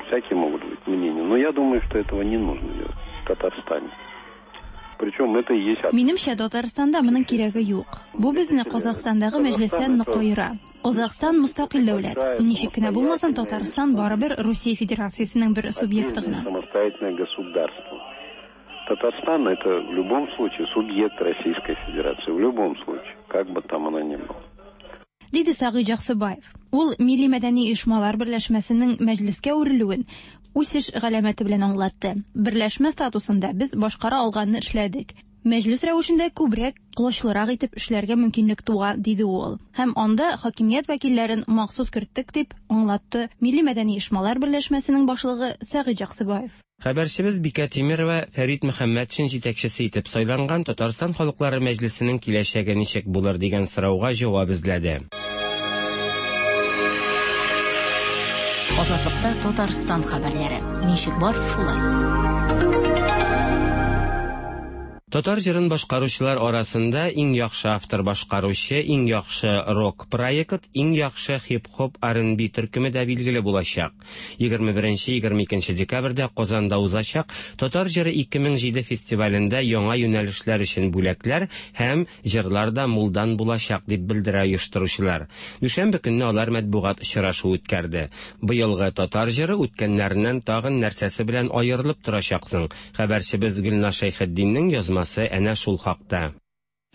всякие могут быть мнения, но я думаю, что этого не нужно делать в Татарстане. Причем это и есть... Минемчә, Татарстанда моның кирәге юк. Бу безне Казахстандагы мәҗлестән нык аера. Казахстан мустакил дәүләт. Ничек кенә булмасын, Татарстан барыбер Русия Федерациясенең бер субъекты гына. Самостоятельное государство. Татарстан это в любом случае субъект Российской Федерации, в любом случае, как бы там она ни была. Диде Сәгыйть Җаксыбаев. Ул Милли мәдәни оешмалар берләшмәсенең мәҗлескә әверелүен үсеш галәмәте белән аңлатты. Берләшмә статусында без башкара алганны эшләдек. Мәҗлес рәвешендә күбрәк, колачлырак итеп эшләргә мөмкинлек туа, диде ул. Һәм анда хакимият вәкилләрен махсус керттек дип аңлатты Милли мәдәни оешмалар берләшмәсенең башлыгы Сәгыйть Җаксыбаев. Хәбәрчебез Бикә Тимирова Фәрит Мөхәммәтшин җитәкчесе итеп сайланган Татарстан халыклары мәҗлесенең киләчәге ничек булыр дигән сорауга җавап эзләде. Азатлыкта Татарстан хәбәрләре. Ничек бар, шулай. Татар җырын башкаручылар арасында иң яхшы автор башкаручы, иң яхшы рок проект, иң яхшы хип-хоп ар энд би төркеме дә билгеле булачак. егерме беренче егерме икенче декабрьдә Казанда узачак Татар җыры ике мең җиде фестивалендә яңа юнәлешләр өчен бүләкләр һәм җырлар да мулдан булачак дип белдерә оештыручылар. Дүшәмбе көнне алар матбугат очрашуы үткәрде. Быелгы Татар җыры үткәннәреннән тагын нәрсәсе белән аерылып торачаксың? Хәбәрчебез Гөлназ Шәйхетдиннең язмасы әнә шул хакта.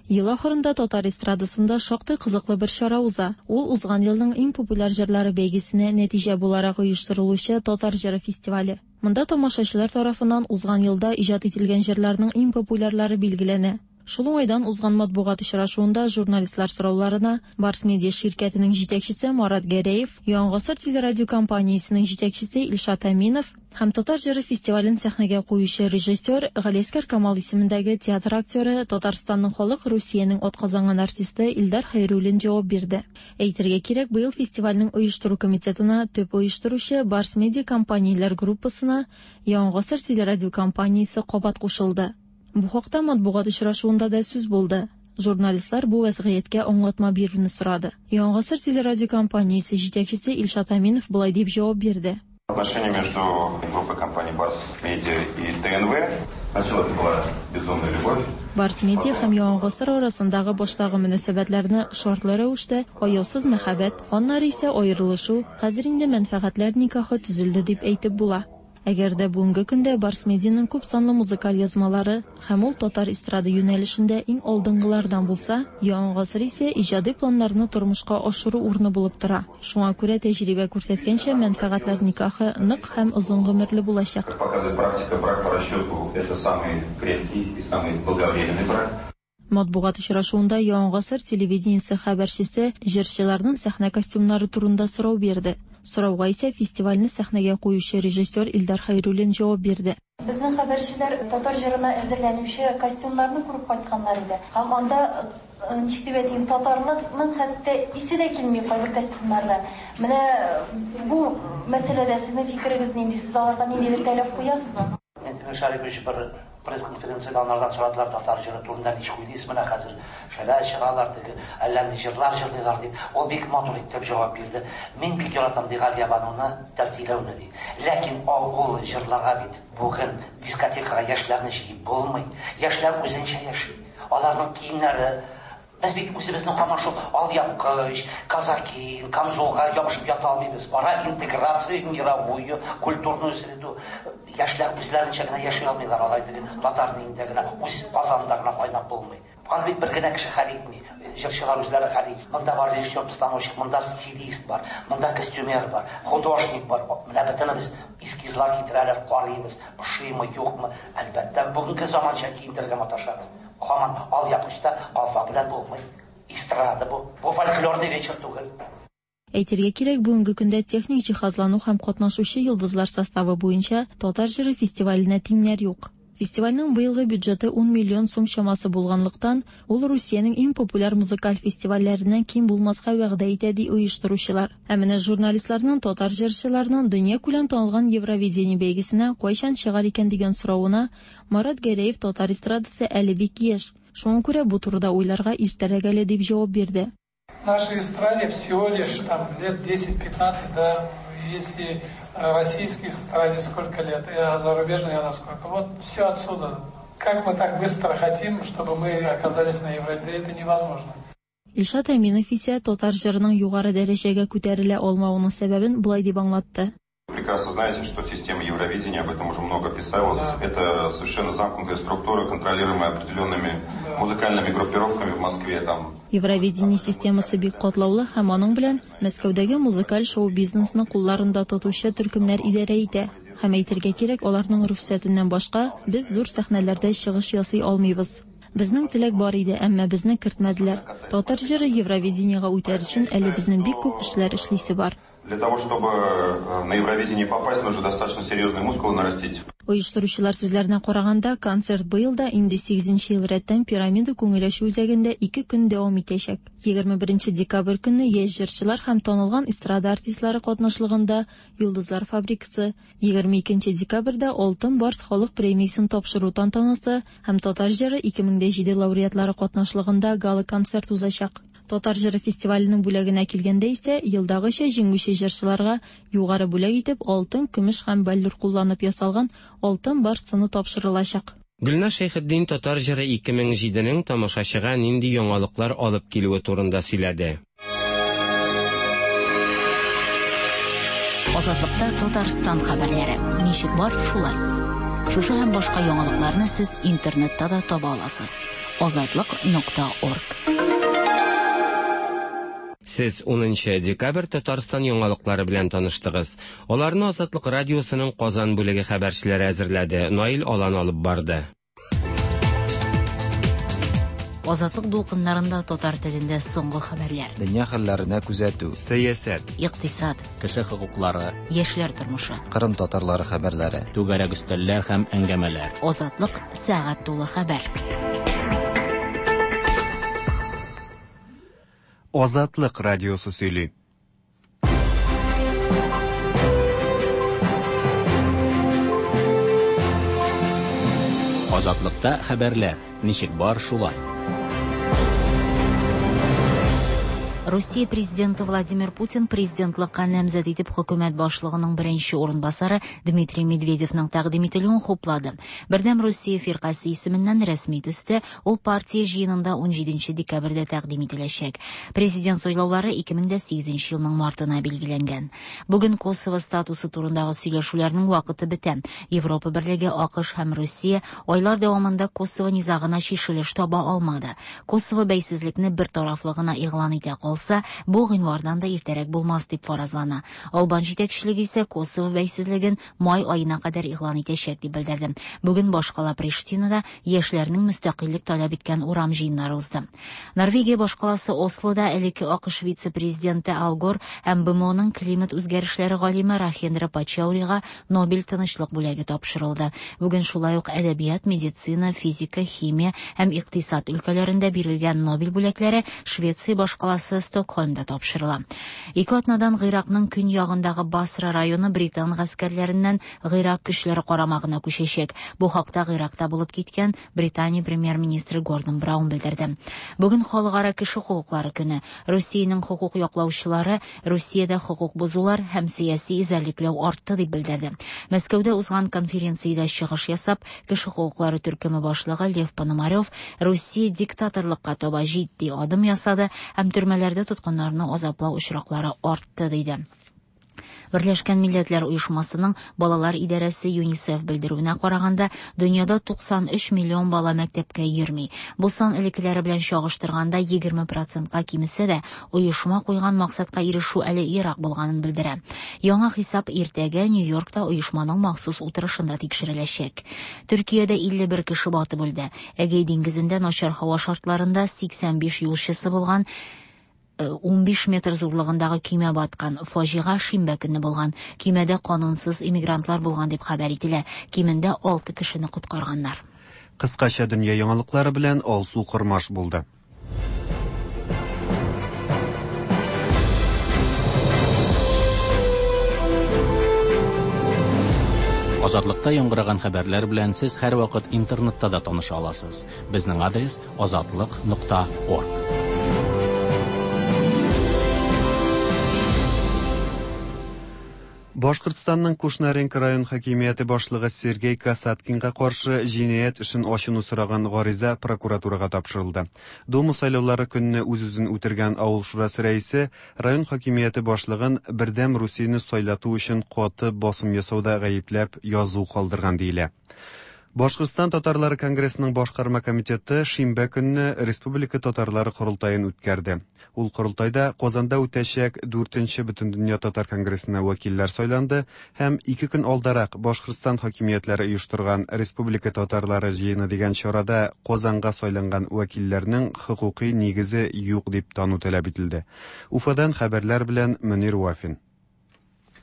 Ел ахырында татар эстрадасында шактый кызыклы бер чара уза. Ул узган елның иң популяр җырлары бәйгесенә нәтиҗә буларак оештырылучы Татар җыры фестивале. Монда тамашачылар тарафыннан узган елда иҗат ителгән җырларның иң популярлары билгеләнә. Шул уңайдан узган матбугат очрашуында журналистлар сорауларына Барс Медиа ширкәтенең җитәкчесе Марат Гәрәев, Яңа гасыр телерадиокомпаниясенең җитәкчесе Илшат Әминов һәм Татар җыры фестивален сәхнәгә куючы режиссер Галиәсгар Камал исемендәге театр актеры, Татарстанның халык Русиянең атказанган артисты Илдар Хәйруллин җавап бирде. Әйтергә кирәк, быел фестивальнең оештыру комитетына төп оештыручы Барс Медиа компанияләр группасына Яңа гасыр телерадиокомпаниясе кабат кушылды. Бу хакта матбугат очрашуында да сүз булды. Журналистлар бу вәзгыятькә аңлатма бирүне сорады. Яңа гасыр телерадиокомпаниясе җитәкчесе Илшат Әминов болай дип җавап бирде. Отношения между группой компаний Барс Медиа и ТНВ. Сначала это была безумная любовь. Барс Медиа һәм Яңа гасыр арасындагы баштагы мөнәсәбәтләрне шартлы рәвештә аяусыз мәхәббәт, аннары исә аерылышу, хәзер инде мәнфәгатьләр никахы төзелде дип әйтеп була. Әгәр дә бүгенге көндә Барс Медианың күп санлы музыкаль язмалары һәм ул татар эстрада юнәлешендә иң алдынгылардан булса, Яңа гасыр исә иҗади планнарны тормышка ашыру урыны булып тора. Шуңа күрә тәҗрибә күрсәткәнчә, мәнфәгатьләр никахы нык һәм озын гомерле булачак. Как показывает практика, брак по расчету – это самый крепкий и самый долговременный брак. Матбугат очрашуында Яңа гасыр телевидениесе хәбәрчесе җырчыларның сәхнә костюмнары турында сорау бирде. Сорауга исә фестивальне сәхнәгә куючы режиссер Илдар Хәйруллин җавап бирде. Безнең хәбәрчеләр татар җырына әзерләнүче костюмнарны күреп кайтканнар иде. Һәм анда ничек дип әйтим, татарлыкның хәтта исе дә килми кайбер костюмнарда. Менә бу мәсьәләдә сезнең фикерегез нинди? Сез аларга ниндидер таләп куясызмы? Минтимер Шарипович бер пресс-конференциядә анардан сорадылар татар җыры турында ничек уйлыйсыз, менә хәзер шәлә чыгалар, теге әллә нинди җырлар җырлыйлар дип. Ул бик матур итеп җавап бирде. Мин бик яратам ди Галиябануны, Тәтиләүне ди. Ләкин ул җырларга бит бүген дискотекага яшьләрне җыеп булмый. Яшьләр үзенчә яши. Аларның киемнәре. Без бит үзебезнең һаман шул алъяпкыч, казаки, камзолга ябышып ята алмыйбыз. Пора интеграция в мировую культурную среду. Яшьләр үзләренчә генә яши алмыйлар, алай теге татарның инде генә үз Казанда гына кайнап булмый. Аны бит бер генә кеше хәл итми. Җырчылар үзләре хәл итми. Монда бар режиссер, постановщик, монда стилист бар, монда костюмер бар, художник бар. Менә бөтенебез эскизлар китерәләр, карыйбыз, ошыймы, юкмы. Әлбәттә, бүгенге заманча киендерергә маташабыз. Һаман алъяпкычта калфак белән булмый. Эстрада бу. Бу фольклорный вечер түгел. Әйтергә кирәк, бүгенге көндә техник җиһазлану һәм катнашучы йолдызлар составы буенча Татар җыры фестиваленә тиңнәр юк. Фестивальнең быелгы бюджеты ун миллион сум чамасы булганлыктан, ул Русиянең иң популяр музыкаль фестивальләреннән ким булмаска вәгъдә итә ди оештыручылар. Ә менә журналистларның татар җырчыларының дөнья күләм танылган Евровидение бәйгесенә кайчан чыгар икән дигән соравына Марат Гәрәев татар эстрадасы әле бик яшь. Шуңа күрә бу турыда уйларга иртәрәк әле дип җавап бирде. Нашей эстраде всего лишь там лет десять-пятнадцать, да, если российской эстраде сколько лет, а зарубежной она сколько. Вот все отсюда. Как мы так быстро хотим, чтобы мы оказались на Евровидении, это невозможно. Илшат Әминов исә татар җырының югары дәрәҗәгә күтәрелә алмавының сәбәбен болай дип аңлатты. Прекрасно знаете, что система Евровидения, об этом уже много писалось, да. Это совершенно замкнутая структура, контролируемая определенными да. музыкальными группировками в Москве. Там. Евровидение системасы бик катлаулы һәм аның белән Мәскәүдәге музыкаль шоу-бизнесны кулларында тотучы төркемнәр идарә итә. Һәм әйтергә кирәк, аларның рөхсәтеннән башка без зур сәхнәләрдә чыгыш ясый алмыйбыз. Безнең теләк бар иде, әмма безне кертмәделәр. Татар җыры Евровидениега үтәр өчен әле безнең бик күп эшләр эшлисе бар. Для того, чтобы на Евровидение попасть, нужно достаточно серьезные мускулы нарастить. Оештыручылар сүзләренә караганда, концерт быел да инде сигезенче ел рәттән Пирамида күңел ачу үзәгендә ике көн дәвам итәчәк. егерме беренче декабрь көнне яшь җырчылар һәм танылган эстрада артистлары катнашлыгында Йолдызлар фабрикасы, егерме икенче декабрьдә Алтын Барс халык премиясен тапшыру тантанасы һәм Татар җыры ике мең дә җиде лауреатлары катнашлыгында гала-концерт узачак. Татар җыры фестиваленең бүләгенә килгәндә исә, елдагыча җиңүче җырчыларга югары бүләк итеп алтын, көмеш һәм бәллүр кулланып ясалган Алтын Барс сыны тапшырылачак. Гөлназ Шәйхетдин Татар җыры ике мең җиденең тамашачыга нинди яңалыклар алып килүе турында сөйләде. Азатлыкта Татарстан хәбәрләре. Ничек бар, шулай. Шушы һәм башка яңалыкларны сез интернетта да таба аласыз. азатлык нокта орг. Сез унынчы декабрь Татарстан яңалыклары белән таныштыгыз. Аларны Азатлык радиосының Казан бүлеге хәбәрчеләре әзерләде. Наил Алан алып барды. Азатлык дулкыннарында татар телендә соңгы хәбәрләр. Дөнья хәлләренә күзәтү. Сәясәт. Икътисад. Кеше хокуклары. Яшьләр тормышы. Кырым татарлары хәбәрләре. Түгәрәк өстәлләр һәм әңгәмәләр. Азатлык сәгать тулы хәбәр. Азатлык радиосы сөйли. Азатлыкта хәбәрләр ничек бар шулай. Русия президенты Владимир Путин президентлыкка намзәт итеп хөкүмәт башлыгының беренче урынбасары Дмитрий Медведевның тәкъдим ителүен хуплады. Бердәм Русия фиркасе исеменнән рәсми төстә ул партия җыенында унҗиденче декабрьдә тәкъдим ителәчәк. Президент сайлаулары ике мең дә сигезенче елның мартына билгеләнгән. Бүген Косово статусы турындагы сөйләшүләрнең вакыты бетә. Европа Берлеге, АКШ һәм Русия айлар дәвамында Косово низагына чишелеш таба алмады. Косово бәйсезлекне бер тарафлы гына игълан итә калса, бу гыйнвардан да иртәрәк булмас дип фаразлана. Албан җитәкчелеге исә Косово бәйсезлеген май аена кадәр игълан итәчәк дип белдерде. Бүген башкала Приштинада яшьләрнең мөстәкыйльлек таләп иткән урам җыеннары узды. Норвегия башкаласы Ослода элекке АКШ вице-президенты Ал Гор һәм БМОның климат үзгәрешләре галиме Рахендра Пачаурига Нобель тынычлык бүләге тапшырылды. Бүген шулай ук әдәбият, медицина, физика, химия һәм икътисад өлкәләрендә бирелгән Нобель бүләкләре Швеция башкаласы Стокһольмда тапшырыла. Ике атнадан Гыйракның көньягындагы Басра районы британ гаскәрләреннән Гыйрак көчләре карамагына күчәчәк. Бу хакта Гыйракта булып киткән Британия премьер-министры Гордон Браун белдерде. Бүген халыкара кеше хокуклары көне. Русиянең хокук яклаучылары Русиядә хокук бозулар һәм сәяси эзәрлекләү артты дип белдерде. Мәскәүдә узган конференциядә чыгыш ясап, кеше хокуклары төркеме башлыгы Лев Пономарев Русия диктаторлыкка таба җитди адым ясады һәм төрмәләрдә тоткыннарны азаплау очраклары артты диде. Берләшкән Милләтләр Оешмасының балалар идарәсе ЮНИСЕФ белдерүенә караганда, дөньяда туксан өч миллион бала мәктәпкә йөрми. Бу сан элеккеләре белән чагыштырганда егерме процентка кимесә дә, оешма куйган максатка ирешү әле ерак булганын белдерә. Яңа хисап иртәгә Нью-Йоркта оешманың махсус утырышында тикшереләчәк. Төркиядә илле бер кеше батып үлде. Эгей диңгезендә начар һава шартларында сиксән биш юлчысы булган унбиш метр зурлыгындагы көймә баткан. Фаҗига шимбә көнне булган. Көймәдә канунсыз иммигрантлар булган дип хәбәр ителә. Кимендә алты кешене коткарганнар. Кыскача дөнья яңалыклары белән Алсу Кормаш булды. Азатлыкта яңгыраган хәбәрләр белән сез һәрвакыт интернетта да таныша аласыз. Безнең адрес азатлык нокта орг. Башкортстанның Кушнаренко район хакимияте башлыгы Сергей Касаткинга каршы җинаять эшен ачуны сораган гариза прокуратурага тапшырылды. Дума сайлаулары көнне үз-үзен үтергән авыл шурасы рәисе район хакимияте башлыгын Бердәм Русияне сайлату өчен каты басым ясауда гаепләп язу калдырган диелә. Башкортстан татарлары конгрессының башкарма комитеты шимбә көнне Республика татарлары корылтаен үткәрде. Ул корылтайда Казанда үтәчәк дүртенче Бөтендөнья татар конгрессына вәкилләр сайланды һәм ике көн алдарак Башкортстан хакимиятләре оештырган Республика татарлары җыены дигән чарада Казанга сайланган вәкилләрнең хокукый нигезе юк дип тану таләп ителде. Уфадан хәбәрләр белән Мөнир Вафин.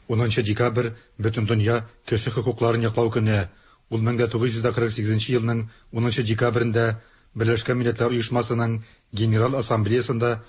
Унынчы декабрь Бөтендөнья кеше хокукларын яклау көне. Ул мең дә тугыз йөз дә кырык сигезенче елның унынчы декабрендә Берләшкән Милләтләр Оешмасының Генерал Ассамблеясында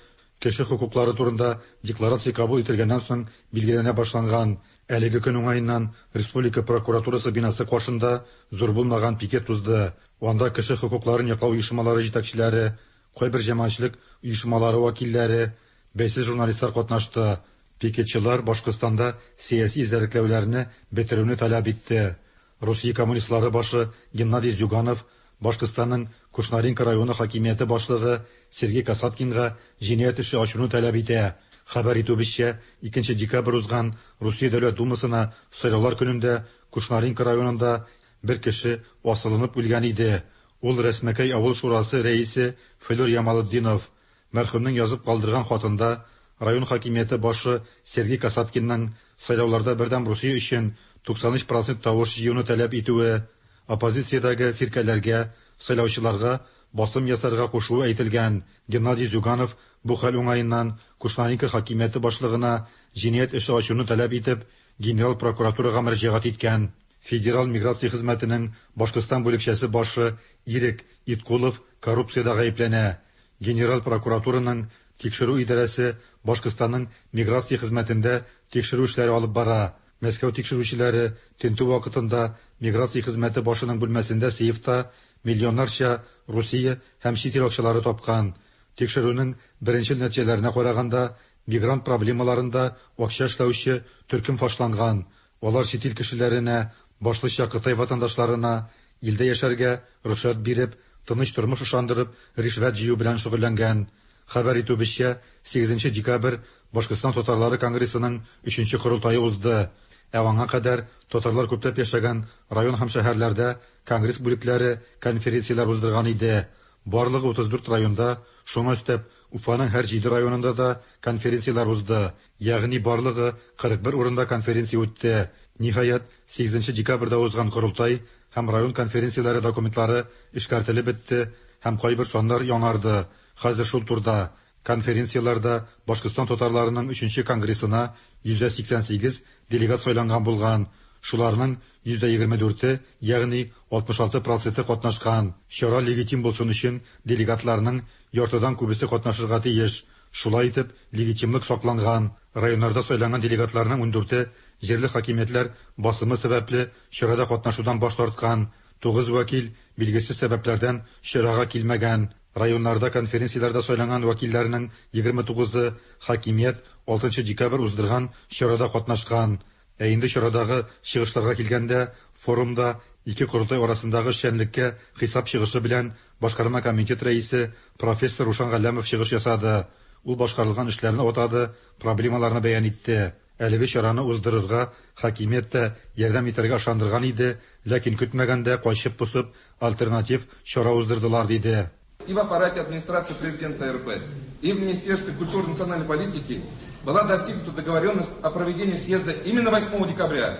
кеше хокуклары турында декларация кабул ителгәннән соң билгеләнә башланган. Әлеге көн уңаеннан Республика прокуратурасы бинасы каршында зур булмаган пикет узды. Анда кеше хокукларын яклау оешмалары җитәкчеләре, кайбер җәмәгатьчелек оешмалары вәкилләре, бәйсез журналистлар катнашты. Пикетчылар Башкортстанда сәяси эзәрлекләүләрне бетерүне таләп итте. Русия коммунистлары башы Геннадий Зюганов Башкортстанның Кушнаренко районы хакимияте башлыгы Сергей Касаткинга җинаять эше ачуны таләп итә. Хәбәр итүебезчә, икенче декабрь узган Русия Дәүләт Думасына сайлаулар көнендә Кушнаренко районында бер кеше асылынып үлгән иде. Ул Рәсмәкәй авыл шурасы рәисе Флүр Ямалетдинов. Мәрхүмнең язып калдырган хатында район хакимияте башы Сергей Касаткинның сайлауларда Бердәм Русия өчен туксан өч процент тавыш җыюны таләп итүе, оппозициядәге фиркәләргә, сайлаучыларга басым ясарга кушуы әйтелгән. Геннадий Зюганов бу хәл уңаеннан Кушнаренко хакимияте башлыгына җинаять эше ачуны таләп итеп, генерал прокуратурага мөрәҗәгать иткән. Федераль миграция хезмәтенең Башкортстан бүлекчәсе башы Ирек Иткулов коррупциядә гаепләнә. Генераль прокуратураның тикшерү идарәсе Башкортстанның миграция хезмәтендә тикшерү эшләре алып бара. Мәскәү тикшерүчеләре тентү вакытында миграция хезмәте башының бүлмәсендә сейфта миллионнарча Русия һәм чит ил акчалары тапкан. Тикшерүнең беренче нәтиҗәләренә караганда, мигрант проблемаларында акча эшләүче төркем фашланган. Алар чит ил кешеләренә, башлыча Кытай ватандашларына илдә яшәргә рөхсәт биреп, тыныч тормыш ышандырып, ришвәт җыю белән шөгыльләнгән. Хәбәр итүебезчә, сигезенче декабрь Башкортстан татарлары конгрессының өченче корылтае узды. Ә аңа кадәр татарлар күпләп яшәгән район һәм шәһәрләрдә конгресс бүлекләре конференцияләр уздырган иде. Барлыгы утыз дүрт районда, шуңа өстәп, Уфаның һәр җиде районында да конференцияләр узды. Ягъни барлыгы кырык бер урында конференция үтте. Ниһаять, сигезенче декабрьдә узган корылтай һәм район конференцияләре документлары эшкәртелеп бетте һәм кайбер саннар яңарды. Хәзер шул турда конференцияләрдә Башкортстан татарларының өченче конгрессына йөз сиксән сигез делегат сайланган булган. Шуларның йөз егерме дүрте, ягъни алтмыш алты проценты катнашкан. Чара легитим булсын өчен делегатларның яртыдан күбесе катнашырга тиеш. Шулай итеп, легитимлык сакланган. Районнарда сайланган делегатларның ундүрте җирле хакимиятләр басымы сәбәпле чарада катнашудан баш тарткан. Тугыз вәкил билгесез сәбәпләрдән чарага килмәгән. Районнарда конференцияләрдә сайланган вәкилләрнең егерме тугызы хакимият алтынчы декабрь уздырган чарада катнашкан. Ә инде чарадагы чыгышларга килгәндә, форумда ике корылтай арасындагы эшчәнлеккә хисап чыгышы белән башкарма комитет рәисе профессор Рушан Галләмов чыгыш ясады. Ул башкарылган эшләрне атады, проблемаларны бәян итте. Әлеге чараны уздырырга хакимият тә ярдәм итәргә ышандырган иде, ләкин көтмәгәндә качып-посып альтернатив чара уздырдылар, диде. И в аппарате администрации президента эр пэ, и в Министерстве культуры и национальной политики была достигнута договоренность о проведении съезда именно восьмого декабря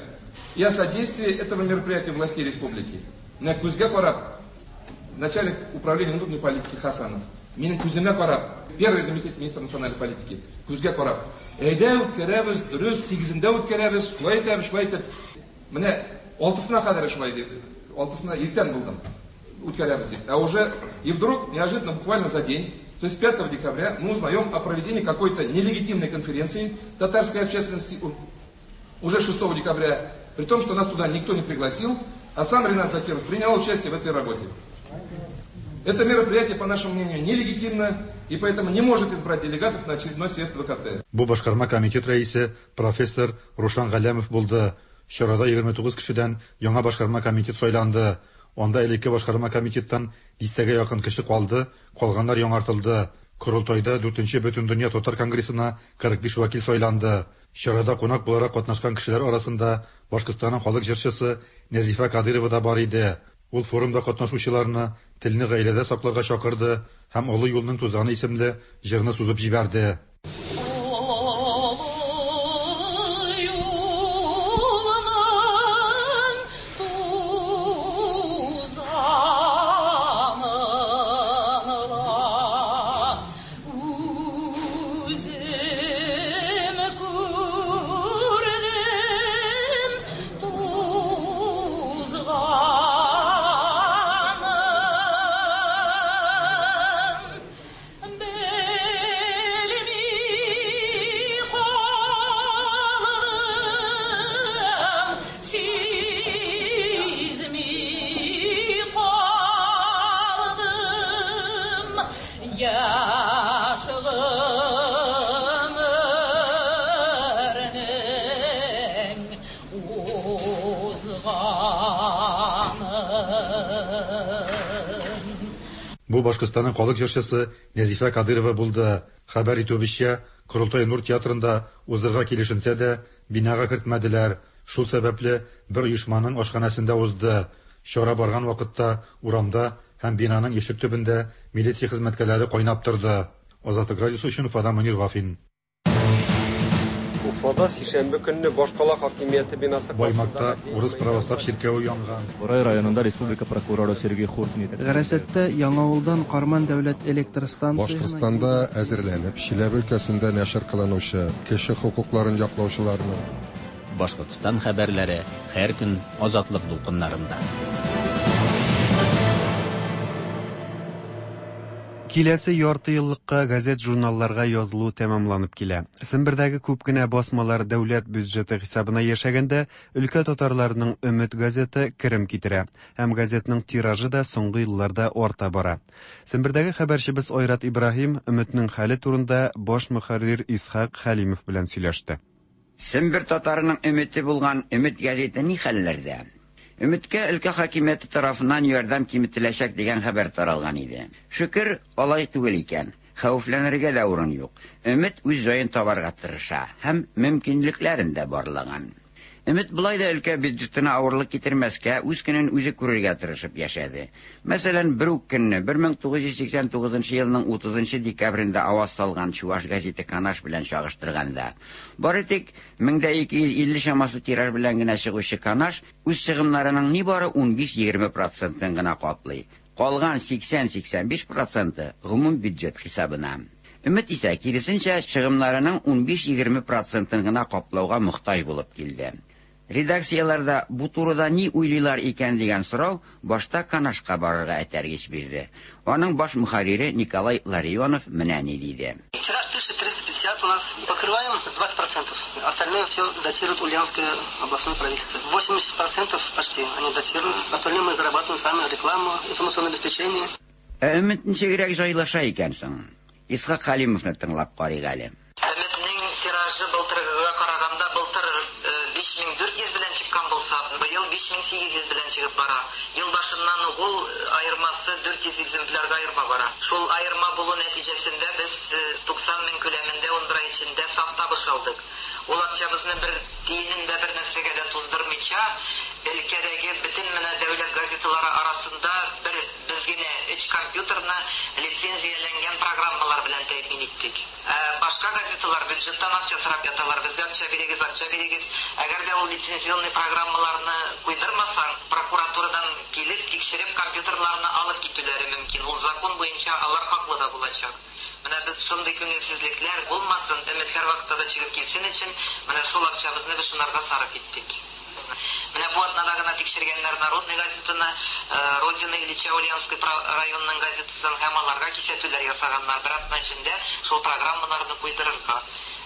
и о содействии этого мероприятия властей республики. Менә күзгә карап, начальник управления внутренней политики Хасанов, минем күземә карап, первый заместитель министра национальной политики, күзгә карап, әйдә үткәрәбез, дөрес, сигезендә үткәрәбез, шулай итәбез, шулай итеп. Менә алтысына кадәр шулай дип, алтысына иртән булдым, үткәрәбез дип. А уже и вдруг, неожиданно, буквально за день, то есть пятого декабря, мы узнаем о проведении какой-то нелегитимной конференции татарской общественности уже шестого декабря, при том, что нас туда никто не пригласил, а сам Ринат Закиров принял участие в этой работе. Это мероприятие, по нашему мнению, нелегитимно и поэтому не может избрать делегатов на очередной съезд вэ ка тэ. Бу башкарма комитет рәисе профессор Рушан Галләмов булды. Чарада егерме тугыз кешедән яңа башкарма комитет сайланды. Анда элекке башкарма комитеттан дистәгә якын кеше калды, калганнар яңартылды. Корылтайда дүртенче Бөтендөнья татар конгрессына кырык биш вәкил сайланды. Чарада кунак буларак катнашкан кешеләр арасында Башкортстанның халык җырчысы Нәзифә Кадырова да бар иде. Ул форумда катнашучыларны телне гаиләдә сакларга чакырды һәм Олы юлның тузаны исемле җырны сузып җибәрде. Бу Башкортстанның халык җырчысы Нәзифә Кадырова булды. Хәбәр итүебезчә, Корылтай Нур театрында уздырырга килешенсә дә, бинага кертмәделәр. Шул сәбәпле бер оешманың ашханәсендә узды. Чара барган вакытта урамда һәм бинаның ишек төбендә милиция хезмәткәрләре кайнап торды. Азатлык радиосы өчен Уфадан Мөнир Вафин. Уфада сишәмбе көнне башкала хакимияте бинасы Баймакта урыс православ чиркәве янган. Бурай районында республика прокуроры Сергей Хуртин Гарасатта Яңавылдан Карман дәүләт электр станциясенә Башкортстанда әзерләнеп, Чиләбе өлкәсендә нәшер кылынучы кеше хокукларын яклаучыларның Башкортстан хәбәрләре һәр көн Азатлык дулкыннарында. Киләсе ярты еллыкка газет-журналларга язылу тәмамланып килә. Сембердәге күп кенә басмалар дәүләт бюджеты хисабына яшәгәндә, өлкә татарларының Өмет газеты керем китерә һәм газетның тиражы да соңгы елларда арта бара. Сембердәге хәбәрчебез Айрат Ибраһим Өметнең хәле турында баш мөхәррир Исхак Хәлимов белән сөйләште. Сембер татарының өмете булган Өмет газеты ни хәлләрдә? Өметкә өлкә хакимияте тарафыннан ярдәм киметеләчәк дигән хәбәр таралган иде. Шөкер, алай түгел икән. Хәвефләнергә дә урын юк. Өмет үз җаен табарга тырыша һәм мөмкинлекләрен дә барлаган. Өмет болай да өлкә бюджетына авырлык китермәскә, үз көнен үзе күрергә тырышып яшәде. Мәсәлән, бер үк көнне бер мең тугыз йөз сиксән тугызынчы елның утызынчы декабрендә аваз салган Чуваш газеты Канаш белән чагыштырганда, бары тик мең дә ике йөз илле чамасы тираж белән генә чыгучы Канаш үз чыгымнарының нибары унбиш-егерме процентын гына каплый. Калган сиксән-сиксән биш проценты гомум бюджет хисабына. Өмет исә киресенчә чыгымнарының унбиш-егерме процентын гына каплауга мохтаҗ булып килде. Редакцияларда бу турыда ни уйлыйлар икән дигән сорау башта Канашка барырга этәргеч бирде. Аның баш мөхәррире Николай Ларионов менә ни диде. Тираж тысяча триста пятьдесят у нас, покрываем двадцать процентов. Остальное все датирует Ульяновское областное правительство. восемьдесят процентов почти они датируют. Остальное мы зарабатываем сами, рекламу, информационное обеспечение. Ә Өмет ничегрәк җайлаша икән соң? Исхак Хәлимовны тыңлап карыйк әле. Өметнең тиражы былтыргыга караганда былтыр биш мең дүрт йөз белән чыккан булса, быел биш мең сигез йөз белән чыгып бара. Ел башыннан ук ул аермасы дүрт йөз экземплярга аерма бара. Шул аерма булу нәтиҗәсендә без туксан мең күләмендә ун бер ай эчендә саф табыш алдык. Ул акчабызны бер тиенен дә бер нәрсәгә дә туздырмыйча, өлкәдәге бөтен менә дәүләт газеталары арасында бер без генә өч компьютерны лицензияләнгән программалар белән тәэмин иттек. Башка газеталар бюджеттан акча сорап яталар, безгә акча бирегез, акча бирегез. Әгәр дә ул лицензионный программаларны куйдырмасаң, прокуратурадан килеп тикшереп компьютерларны алып китүләре мөмкин. Ул закон буенча алар хаклы да булачак. Менә без шундый күңелсезлекләр булмасын, Өмет һәр вакытта да чыгып килсен өчен менә шул акчабызны без шунарга сарыф иттек. Менә бу атнада гына тикшергәннәр Народный газетаны, Родина Ильича Ульяновский районының газетасын һәм аларга кисәтүләр ясаганнар. Бер атна эчендә шул программаларны куйдырырга.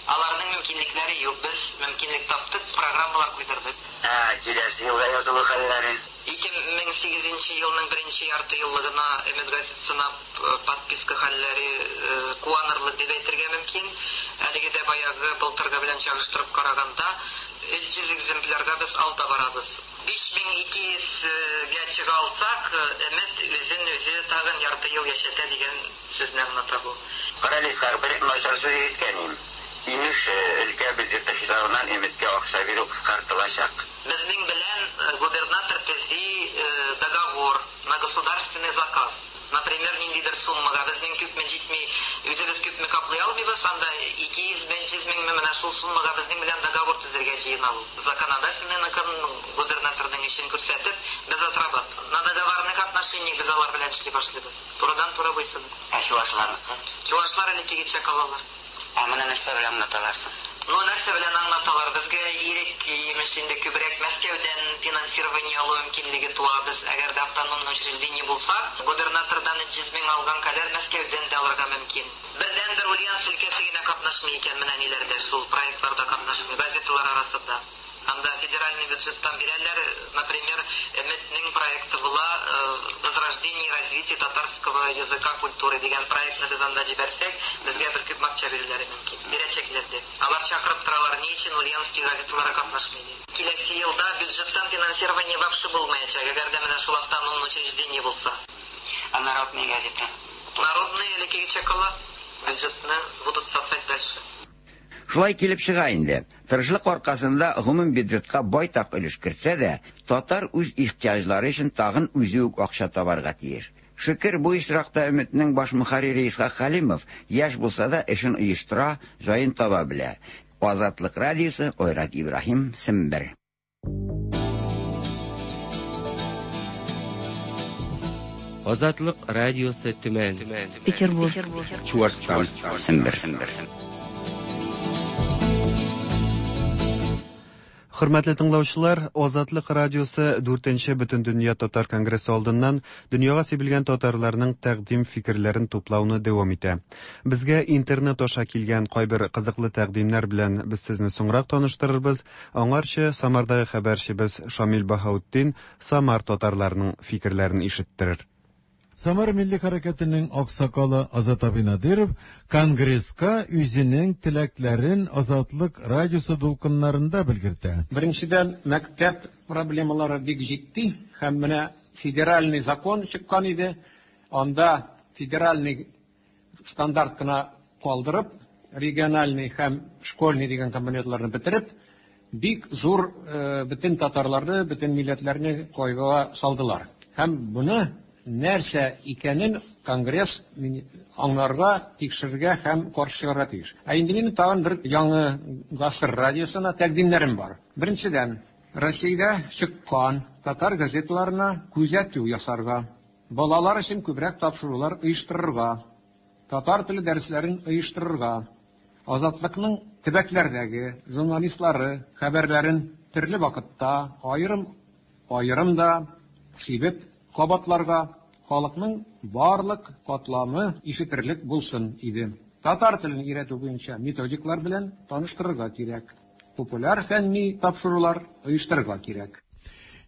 Аларның мөмкинлекләре юк. Без мөмкинлек таптык, программалар куйдырдык. Ә, киләсе елга язылу хәлләре? ике мең сигезенче елның беренче ярты еллыгына Өмет газетасына подписка хәлләре куанырлык дип әйтергә мөмкин. Әлеге дә баягы былтыргы белән чагыштырып караганда өч йөз экземплярга без алда барабыз. биш мең ике йөзгә чыга алсак, Өмет үзен үзе тагын ярты ел яшәтә дигән сүзне аңлата бу. Карале, Исхак, бер начар сүз ишеткән идем. Имеш, өлкә бюджеты хисабыннан Өметкә акча бирү кыскартылачак. Безнең белән губернатор төзи договор на государственный заказ. Например, ниндидер суммага безнең күпме җитми, үзебез күпме каплый алмыйбыз, анда ике йөз мең, йөз меңме менә шул суммага безнең белән договор төзергә җыена ул. Законодательный губернаторның эшен күрсәтеп, без отрабатываем. На договорных отношениях без алар белән эшли башлыйбыз. Турыдан-туры буйсынып. Ә чувашларныкы? Чувашлар элеккегечә калалар. Ә моны нәрсә белән аңлаталар соң? Ну, нәрсә белән аңлаталар? Безгә ирек имеш инде күбрәк Мәскәүдән финансирование алу мөмкинлеге туа. Без әгәр дә автономный учреждение булсак, губернатордан йөз мең алган кадәр Мәскәүдән дә алырга мөмкин. Бердән-бер Ульяновск өлкәсе генә катнашмый икән менә ниләрдә, шул проектларда катнашмый, газеталар арасында. Анда федеральный бюджеттан бирәләр, например, Өметнең проекты була «Возрождение и развитие татарского языка, культуры» дигән проектны без анда җибәрсәк, безгә бер күп акча бирүләре мөмкин. Бирәчәкләр дә. Алар чакырып торалар, ни өчен Ульяновский газеталары катнашмый дип. Киләсе елда бюджеттан финансирование вообще булмаячак, әгәр дә менә шул автономный учреждение булса. А народные газеты? Народные элеккегечә кала, бюджетны будут сосать дальше. Шулай килеп чыга инде. Тырышлык аркасында гомум бюджетка байтак өлеш кертсә дә, татар үз ихтыяҗлары өчен тагын үзе үк акча табарга тиеш. Шөкер, бу очракта Өметнең баш мөхәррире Исхак Хәлимов яшь булса да эшен оештыра, җаен таба белә. Азатлык радиосы, Айрат Ибраһим, Сембер. Азатлык радиосы Төмән. Петербург. Чуашстан. Сембер. Хөрмәтле тыңлаучылар, Азатлык радиосы дүртенче Бөтендөнья татар конгрессы алдыннан дөньяга сибелгән татарларның тәкъдим фикерләрен туплауны дәвам итә. Безгә интернет аша килгән кайбер кызыклы тәкъдимнәр белән без сезне соңрак таныштырырбыз. Аңарчы Самардагы хәбәрчебез Шамил Баһаутдин Самар татарларының фикерләрен ишеттерер. Самар милли хәрәкәтенең аксакалы Азат абый Надиров конгресска үзенең теләкләрен Азатлык радиосы дулкыннарында белгертә. Беренчедән, мәктәп проблемалары бик җитди һәм менә федеральный закон чыккан иде. Анда федеральный стандарт кына калдырып, региональный һәм школьный дигән компонентларны бетереп, бик зур бөтен татарларны, бөтен милләтләрне кайгыга салдылар. Һәм буны нәрсә икәнен конгресс аңларга, тикшерергә һәм каршы чыгарга тиеш. Ә инде минем тагын бер яңа гасыр радиосына тәкъдимнәрем бар. Беренчедән, Россиядә чыккан татар газеталарына күзәтү ясарга, балалар өчен күбрәк тапшырулар оештырырга, татар теле дәресләрен оештырырга, Азатлыкның төбәкләрдәге журналистлары хәбәрләрен төрле вакытта аерым аерым да сибеп кабатларга, халыкның барлык катламы ишетерлек булсын иде. Татар телен өйрәтү буенча методиклар белән таныштырырга кирәк. Популяр фәнни тапшырулар оештырырга кирәк.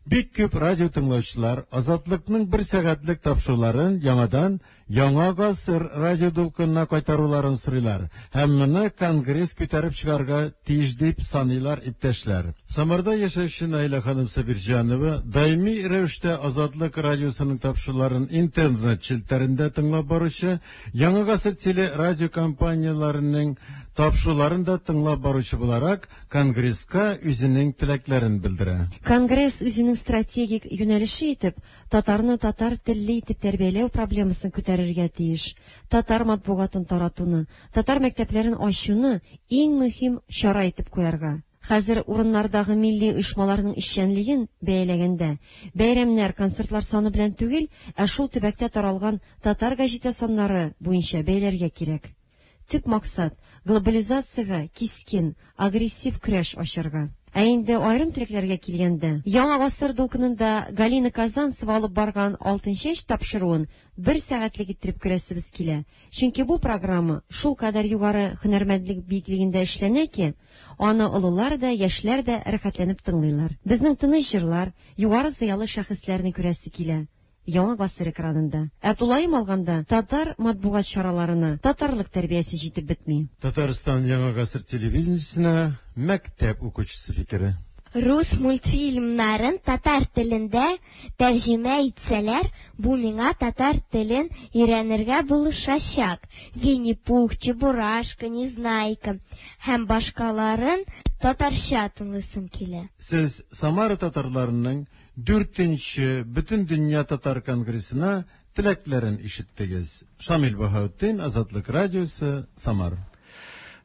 Бик күп радио тыңлаучылар Азатлыкның бер сәгатьлек тапшыруларын яңадан Яңа гасыр радио дулкынына кайтаруларын сорыйлар һәм моны конгресс күтәреп чыгарга тиеш дип саныйлар иптәшләр. Самарда яшәүче Наилә ханым Сабирҗанова даими рәвештә Азатлык радиосының тапшыруларын интернет челтәрендә тыңлап баручы, Яңа гасыр телерадио компанияләренең тапшыруларын да тыңлап баручы буларак конгресска үзенең теләкләрен белдерә. Конгресс үзенең стратегик юнәлеше итеп татарны татар телле итеп тәрбияләү проблемасын күтәрергә тиеш. Татар матбугатын таратуны, татар мәктәпләрен ачуны иң мөһим чара итеп куярга. Хәзер урыннардагы милли оешмаларның эшчәнлеген бәяләгәндә, бәйрәмнәр, концертлар саны белән түгел, ә шул төбәктә таралган татар гәҗитә саннары буенча бәяләргә кирәк. Төп максат глобализациягә кискен, агрессив көрәш ачарга. Ә инде аерым теләкләргә килгәндә, Яңа гасыр дулкынында Галина Казанцева алып барган Алтын чәч тапшыруын бер сәгатьлек иттереп күрәсебез килә. Чөнки бу программа шул кадәр югары һөнәрмәндлек биеклегендә эшләнә ки, аны олылар да, яшьләр дә рәхәтләнеп тыңлыйлар. Безнең тыныч җырлар, югары зыялы шәхесләрне күрәсе килә Яңа гасыр экранында. Ә тулаем алганда, татар матбугат чараларына татарлык тәрбиясе җитеп бетми. Татарстан Яңа гасыр телевидениесенә мәктәп укучысы фикере. Рус мультфильмнарын татар телендә тәрҗемә итсәләр, бу миңа татар телен өйрәнергә булышачак. Винни-Пух, Чебурашка, Незнайка һәм башкаларын татарча тыңлыйсым килә. Сез Самара татарларының дүртенче Бөтендөнья татар конгрессына теләкләрен ишеттегез. Шамил Баһаутдин, Азатлык радиосы, Самар.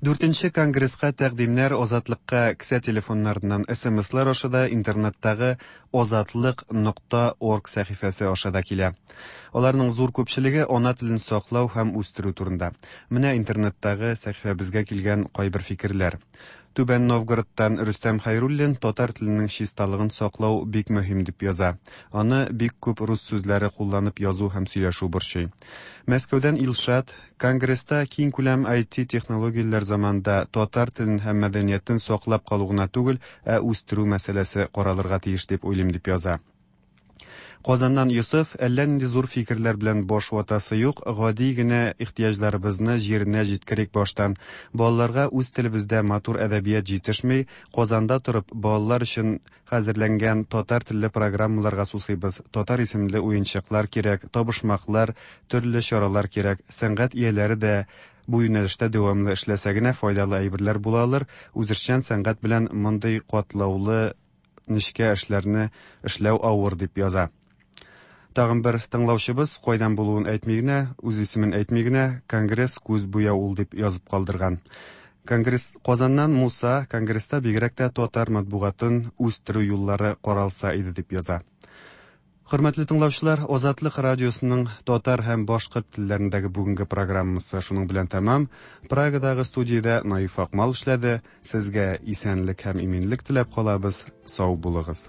Дүртенче конгресска тәкъдимнәр Азатлыкка кесә телефоннарыннан эс эм эслар аша да, интернеттагы азатлык нокта орг сәхифәсе аша да килә. Аларның зур күпчелеге ана телен саклау һәм үстерү турында. Менә интернеттагы сәхифәбезгә килгән кайбер фикерләр. Түбән Новгородтан Рөстәм Хәйруллин татар теленең чисталыгын саклау бик мөһим дип яза. Аны бик күп рус сүзләре кулланып язу һәм сөйләшү борчый. Мәскәүдән Илшат конгресста киң күләм I T технологияләр заманында татар телен һәм мәдәниятен саклап калу гына түгел, ә үстерү мәсьәләсе каралырга тиеш дип уйлыйм дип яза. Казаннан Йосыф әллә нинди зур фикерләр белән баш ватасы юк, гади генә ихтыяҗларыбызны җиренә җиткерик баштан. Балаларга үз телебездә матур әдәбият җитешми, Казанда торып балалар өчен хәзерләнгән татар телле программаларга сусыйбыз. Татар исемле уенчыклар кирәк, табышмаклар, төрле чаралар кирәк. Сәнгать ияләре дә бу юнәлештә дәвамлы эшләсә генә файдалы әйберләр була алыр. Үзешчән сәнгать белән мондый катлаулы нечкә эшләрне эшләү авыр дип яза. Тагын бер тыңлаучыбыз кайдан булуын әйтми генә, үз исемен әйтми генә, конгресс күз буяу ул дип язып калдырган. Конгресс Казаннан Муса конгресста бигрәк тә татар матбугатын үстерү юллары каралса иде дип яза. Хөрмәтле тыңлаучылар, Азатлык радиосының татар һәм башкорт телләрендәге бүгенге программасы шуның белән тәмам. Прагадагы студиядә Наиф Акмал эшләде. Сезгә исәнлек һәм иминлек теләп калабыз. Сау булыгыз.